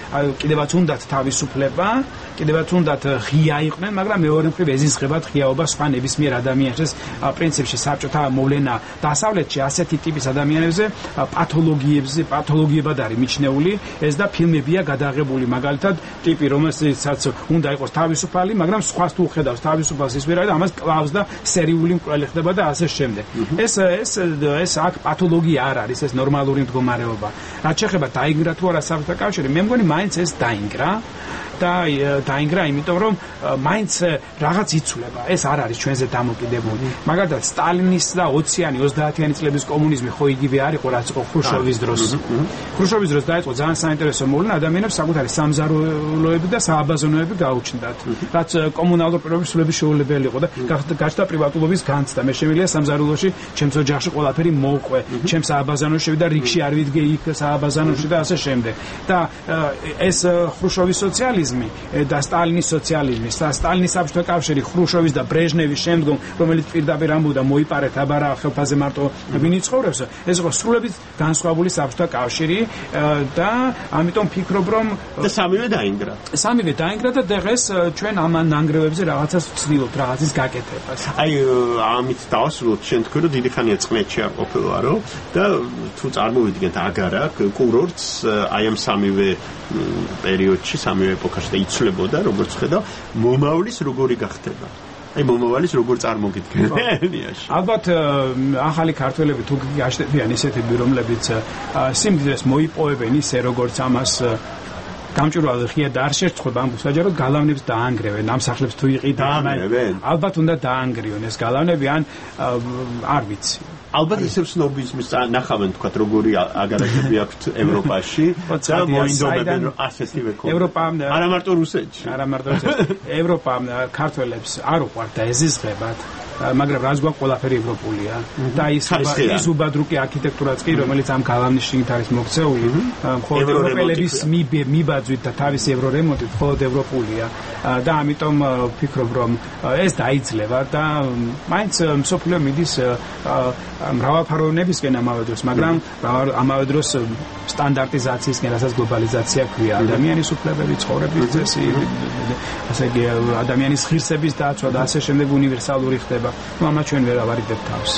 კიდევაც უნდათ თავისუფლება, კიდევაც უნდათ ღია იყვნენ, მაგრამ მეორე მხრივ ეზიზღებათ ღიაობა სხვა ნებისმიერ ადამიანს. პრინციპში საბჭოთა მოვლენა დასავლეთში ასეთი ტიპის ადამიანებზე პათოლოგიებად არის მიჩნეული, ეს და ფილმებია გადაღებული, მაგალითად ტიპი, რომელსაც უნდა იყოს თავისუფალი, მაგრამ სხვას თუ ხედავს თავისუფალს ის ვერ არის და ამას კლავს და სერიული მკვლელი ხდება და ასე შემდეგ. ეს აქ პათოლოგია არ არის, ეს ნორმალური მდგომარეობა. რაც შეეხება დაინგრა თუ არა საბჭოთა კავშირი, მე მგონი მაინც ეს დაინგრა. დაინგრა, იმიტომ რომ მაინც რაღაც იცვლება. ეს არ არის ჩვენზე დამოკიდებული. მაგალითად, სტალინის და 20-იანი, 30-იანი წლების კომუნიზმი ხო იგივე არ იყო, რაც იყო ხრუშჩოვის დროს. ხრუშჩოვის დროს დაიწყო ძალიან საინტერესო მოვლენა, ადამიანებს საკუთარი სამზარეულოები და სააბაზონოები გაუჩნდათ. რაც კომუნალურ პირობებში სრულების შეუძლებელი იყო და გაჩნდა პრივატულობის განცდა. მე შემიძლია სამზარეულოში, ჩემს ოჯახში ყველაფერი მოვყვე, ჩემს სააბაზანოში შევიდა რიგში არ ვიდგე იქ სააბაზანოში და ასე შემდეგ. და ეს ხრუშჩოვის სოციალიზმი და სტალინის სოციალიზმი, სტალინის საბჭოთა კავშირი, ხრუშჩოვის და ბრეჟნევის შემდგომ, რომელიც პირდაპირ ამბობდა მოიპარეთ აბარა ხელფაზე მარტო ვინ იცხოვრებს, ეს იყო სრულებით განსხვავებული საბჭოთა კავშირი და ამიტომ ფიქრობ რომ სამივე დაინგრა. სამივე დაინგრა და დღეს ჩვენ ამ ნანგრევებზე რაღაცას ვცდილობთ, რაღაცის გაკეთებას. აი ამით დავასრულოთ შენ თქვი რომ დიდი ხანია წყნეთში არ ყოფილვარო და თუ წარმოვიდგენთ აგარა კურორტს აი ამ სამივე პერიოდში, სამივე ეპოქაში და იცვლებოდა, როგორც ხედავ, მომავლის როგორი გახდება. აი მომავალის როგორ წარმოგიდგენ ენიაში. ალბათ ახალი ქართველები თუ გაშდებიან ისეთები, რომლებიც სიმდიდრეს მოიპოვებენ ისე, როგორც ამას გამჭვირვალე ღია და არ შეწყდება ამბობს საჯაროდ გალავნებს დაანგრევენ ამ სახლებს თუ იყიდნენ ალბათ უნდა დაანგრიონ ეს გალავნები ან არ ვიცი ალბათ ისევ სნობიზმის ნახავენ თქვა როგორი აგარაკები აქვთ ევროპაში და მოინდომებენ ასეთივე ქონა ევროპა არა მარტო რუსეთში ევროპა ქართველებს არ უყვართ და ეზიზღებათ მაგრამ რაც გვაქვს ყველაფერი ევროპულია და ის უბადრუკი არქიტექტურაც კი რომელიც ამ გალავნის შიგნით არის მოქცეული მხოლოდ ევროპელების მიბაძვით და თავისი ევრორემონტით მხოლოდ ევროპულია და ამიტომ ვფიქრობ რომ ეს დაიძლება და მაინც მსოფლიო მიდის მრავალფეროვნებისკენ ამავე დროს მაგრამ ამავე დროს სტანდარტიზაციისკენ რასაც გლობალიზაცია ქვია ადამიანის უფლებები ცხოვრების წესი ასე იგი ადამიანის ღირსების დაცვა და ასე შემდეგ უნივერსალური ხდება მama ჩვენ ვერ ავარიდებ თავს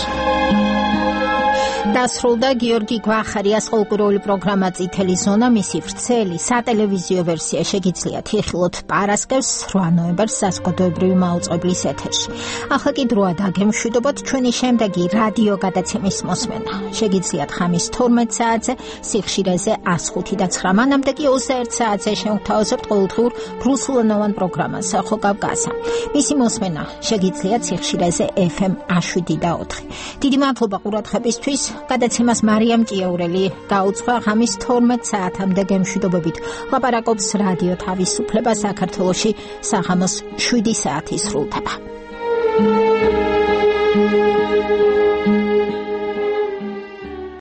დასრულდა გიორგი გვახარიას ყოლკურული პროგრამა წითელი ზონა მისი ვრცელი სატელევიზიო ვერსია შეგიძლიათ იხილოთ პარასკევს 8 ნოემბერს საზოგადოებრივი მაუწყებლის ეთერში ახლა კი დროა დაგემშვიდობოთ ჩვენი შემდეგი რადიო გადაცემის მოსმენა შეგიძლიათ ხამის 12 საათზე სიხშირეზე 105.9 მანამდე კი 21 საათზე შევთავაზებთ ყოველდღიურ რუსულენოვან პროგრამას სახო კავკასია მისი მოსმენა შეგიძლიათ სიხშირეზე FM 7.4 დიდი მადლობა ყურადღებისთვის გადაცემას მარიამ ჭიაურელი გაუძღვა ღამის 12 საათამდე გემშვიდობებით ლაპარაკობს რადიო თავისუფლება საქართველოში საღამოს 7 საათი სრულდება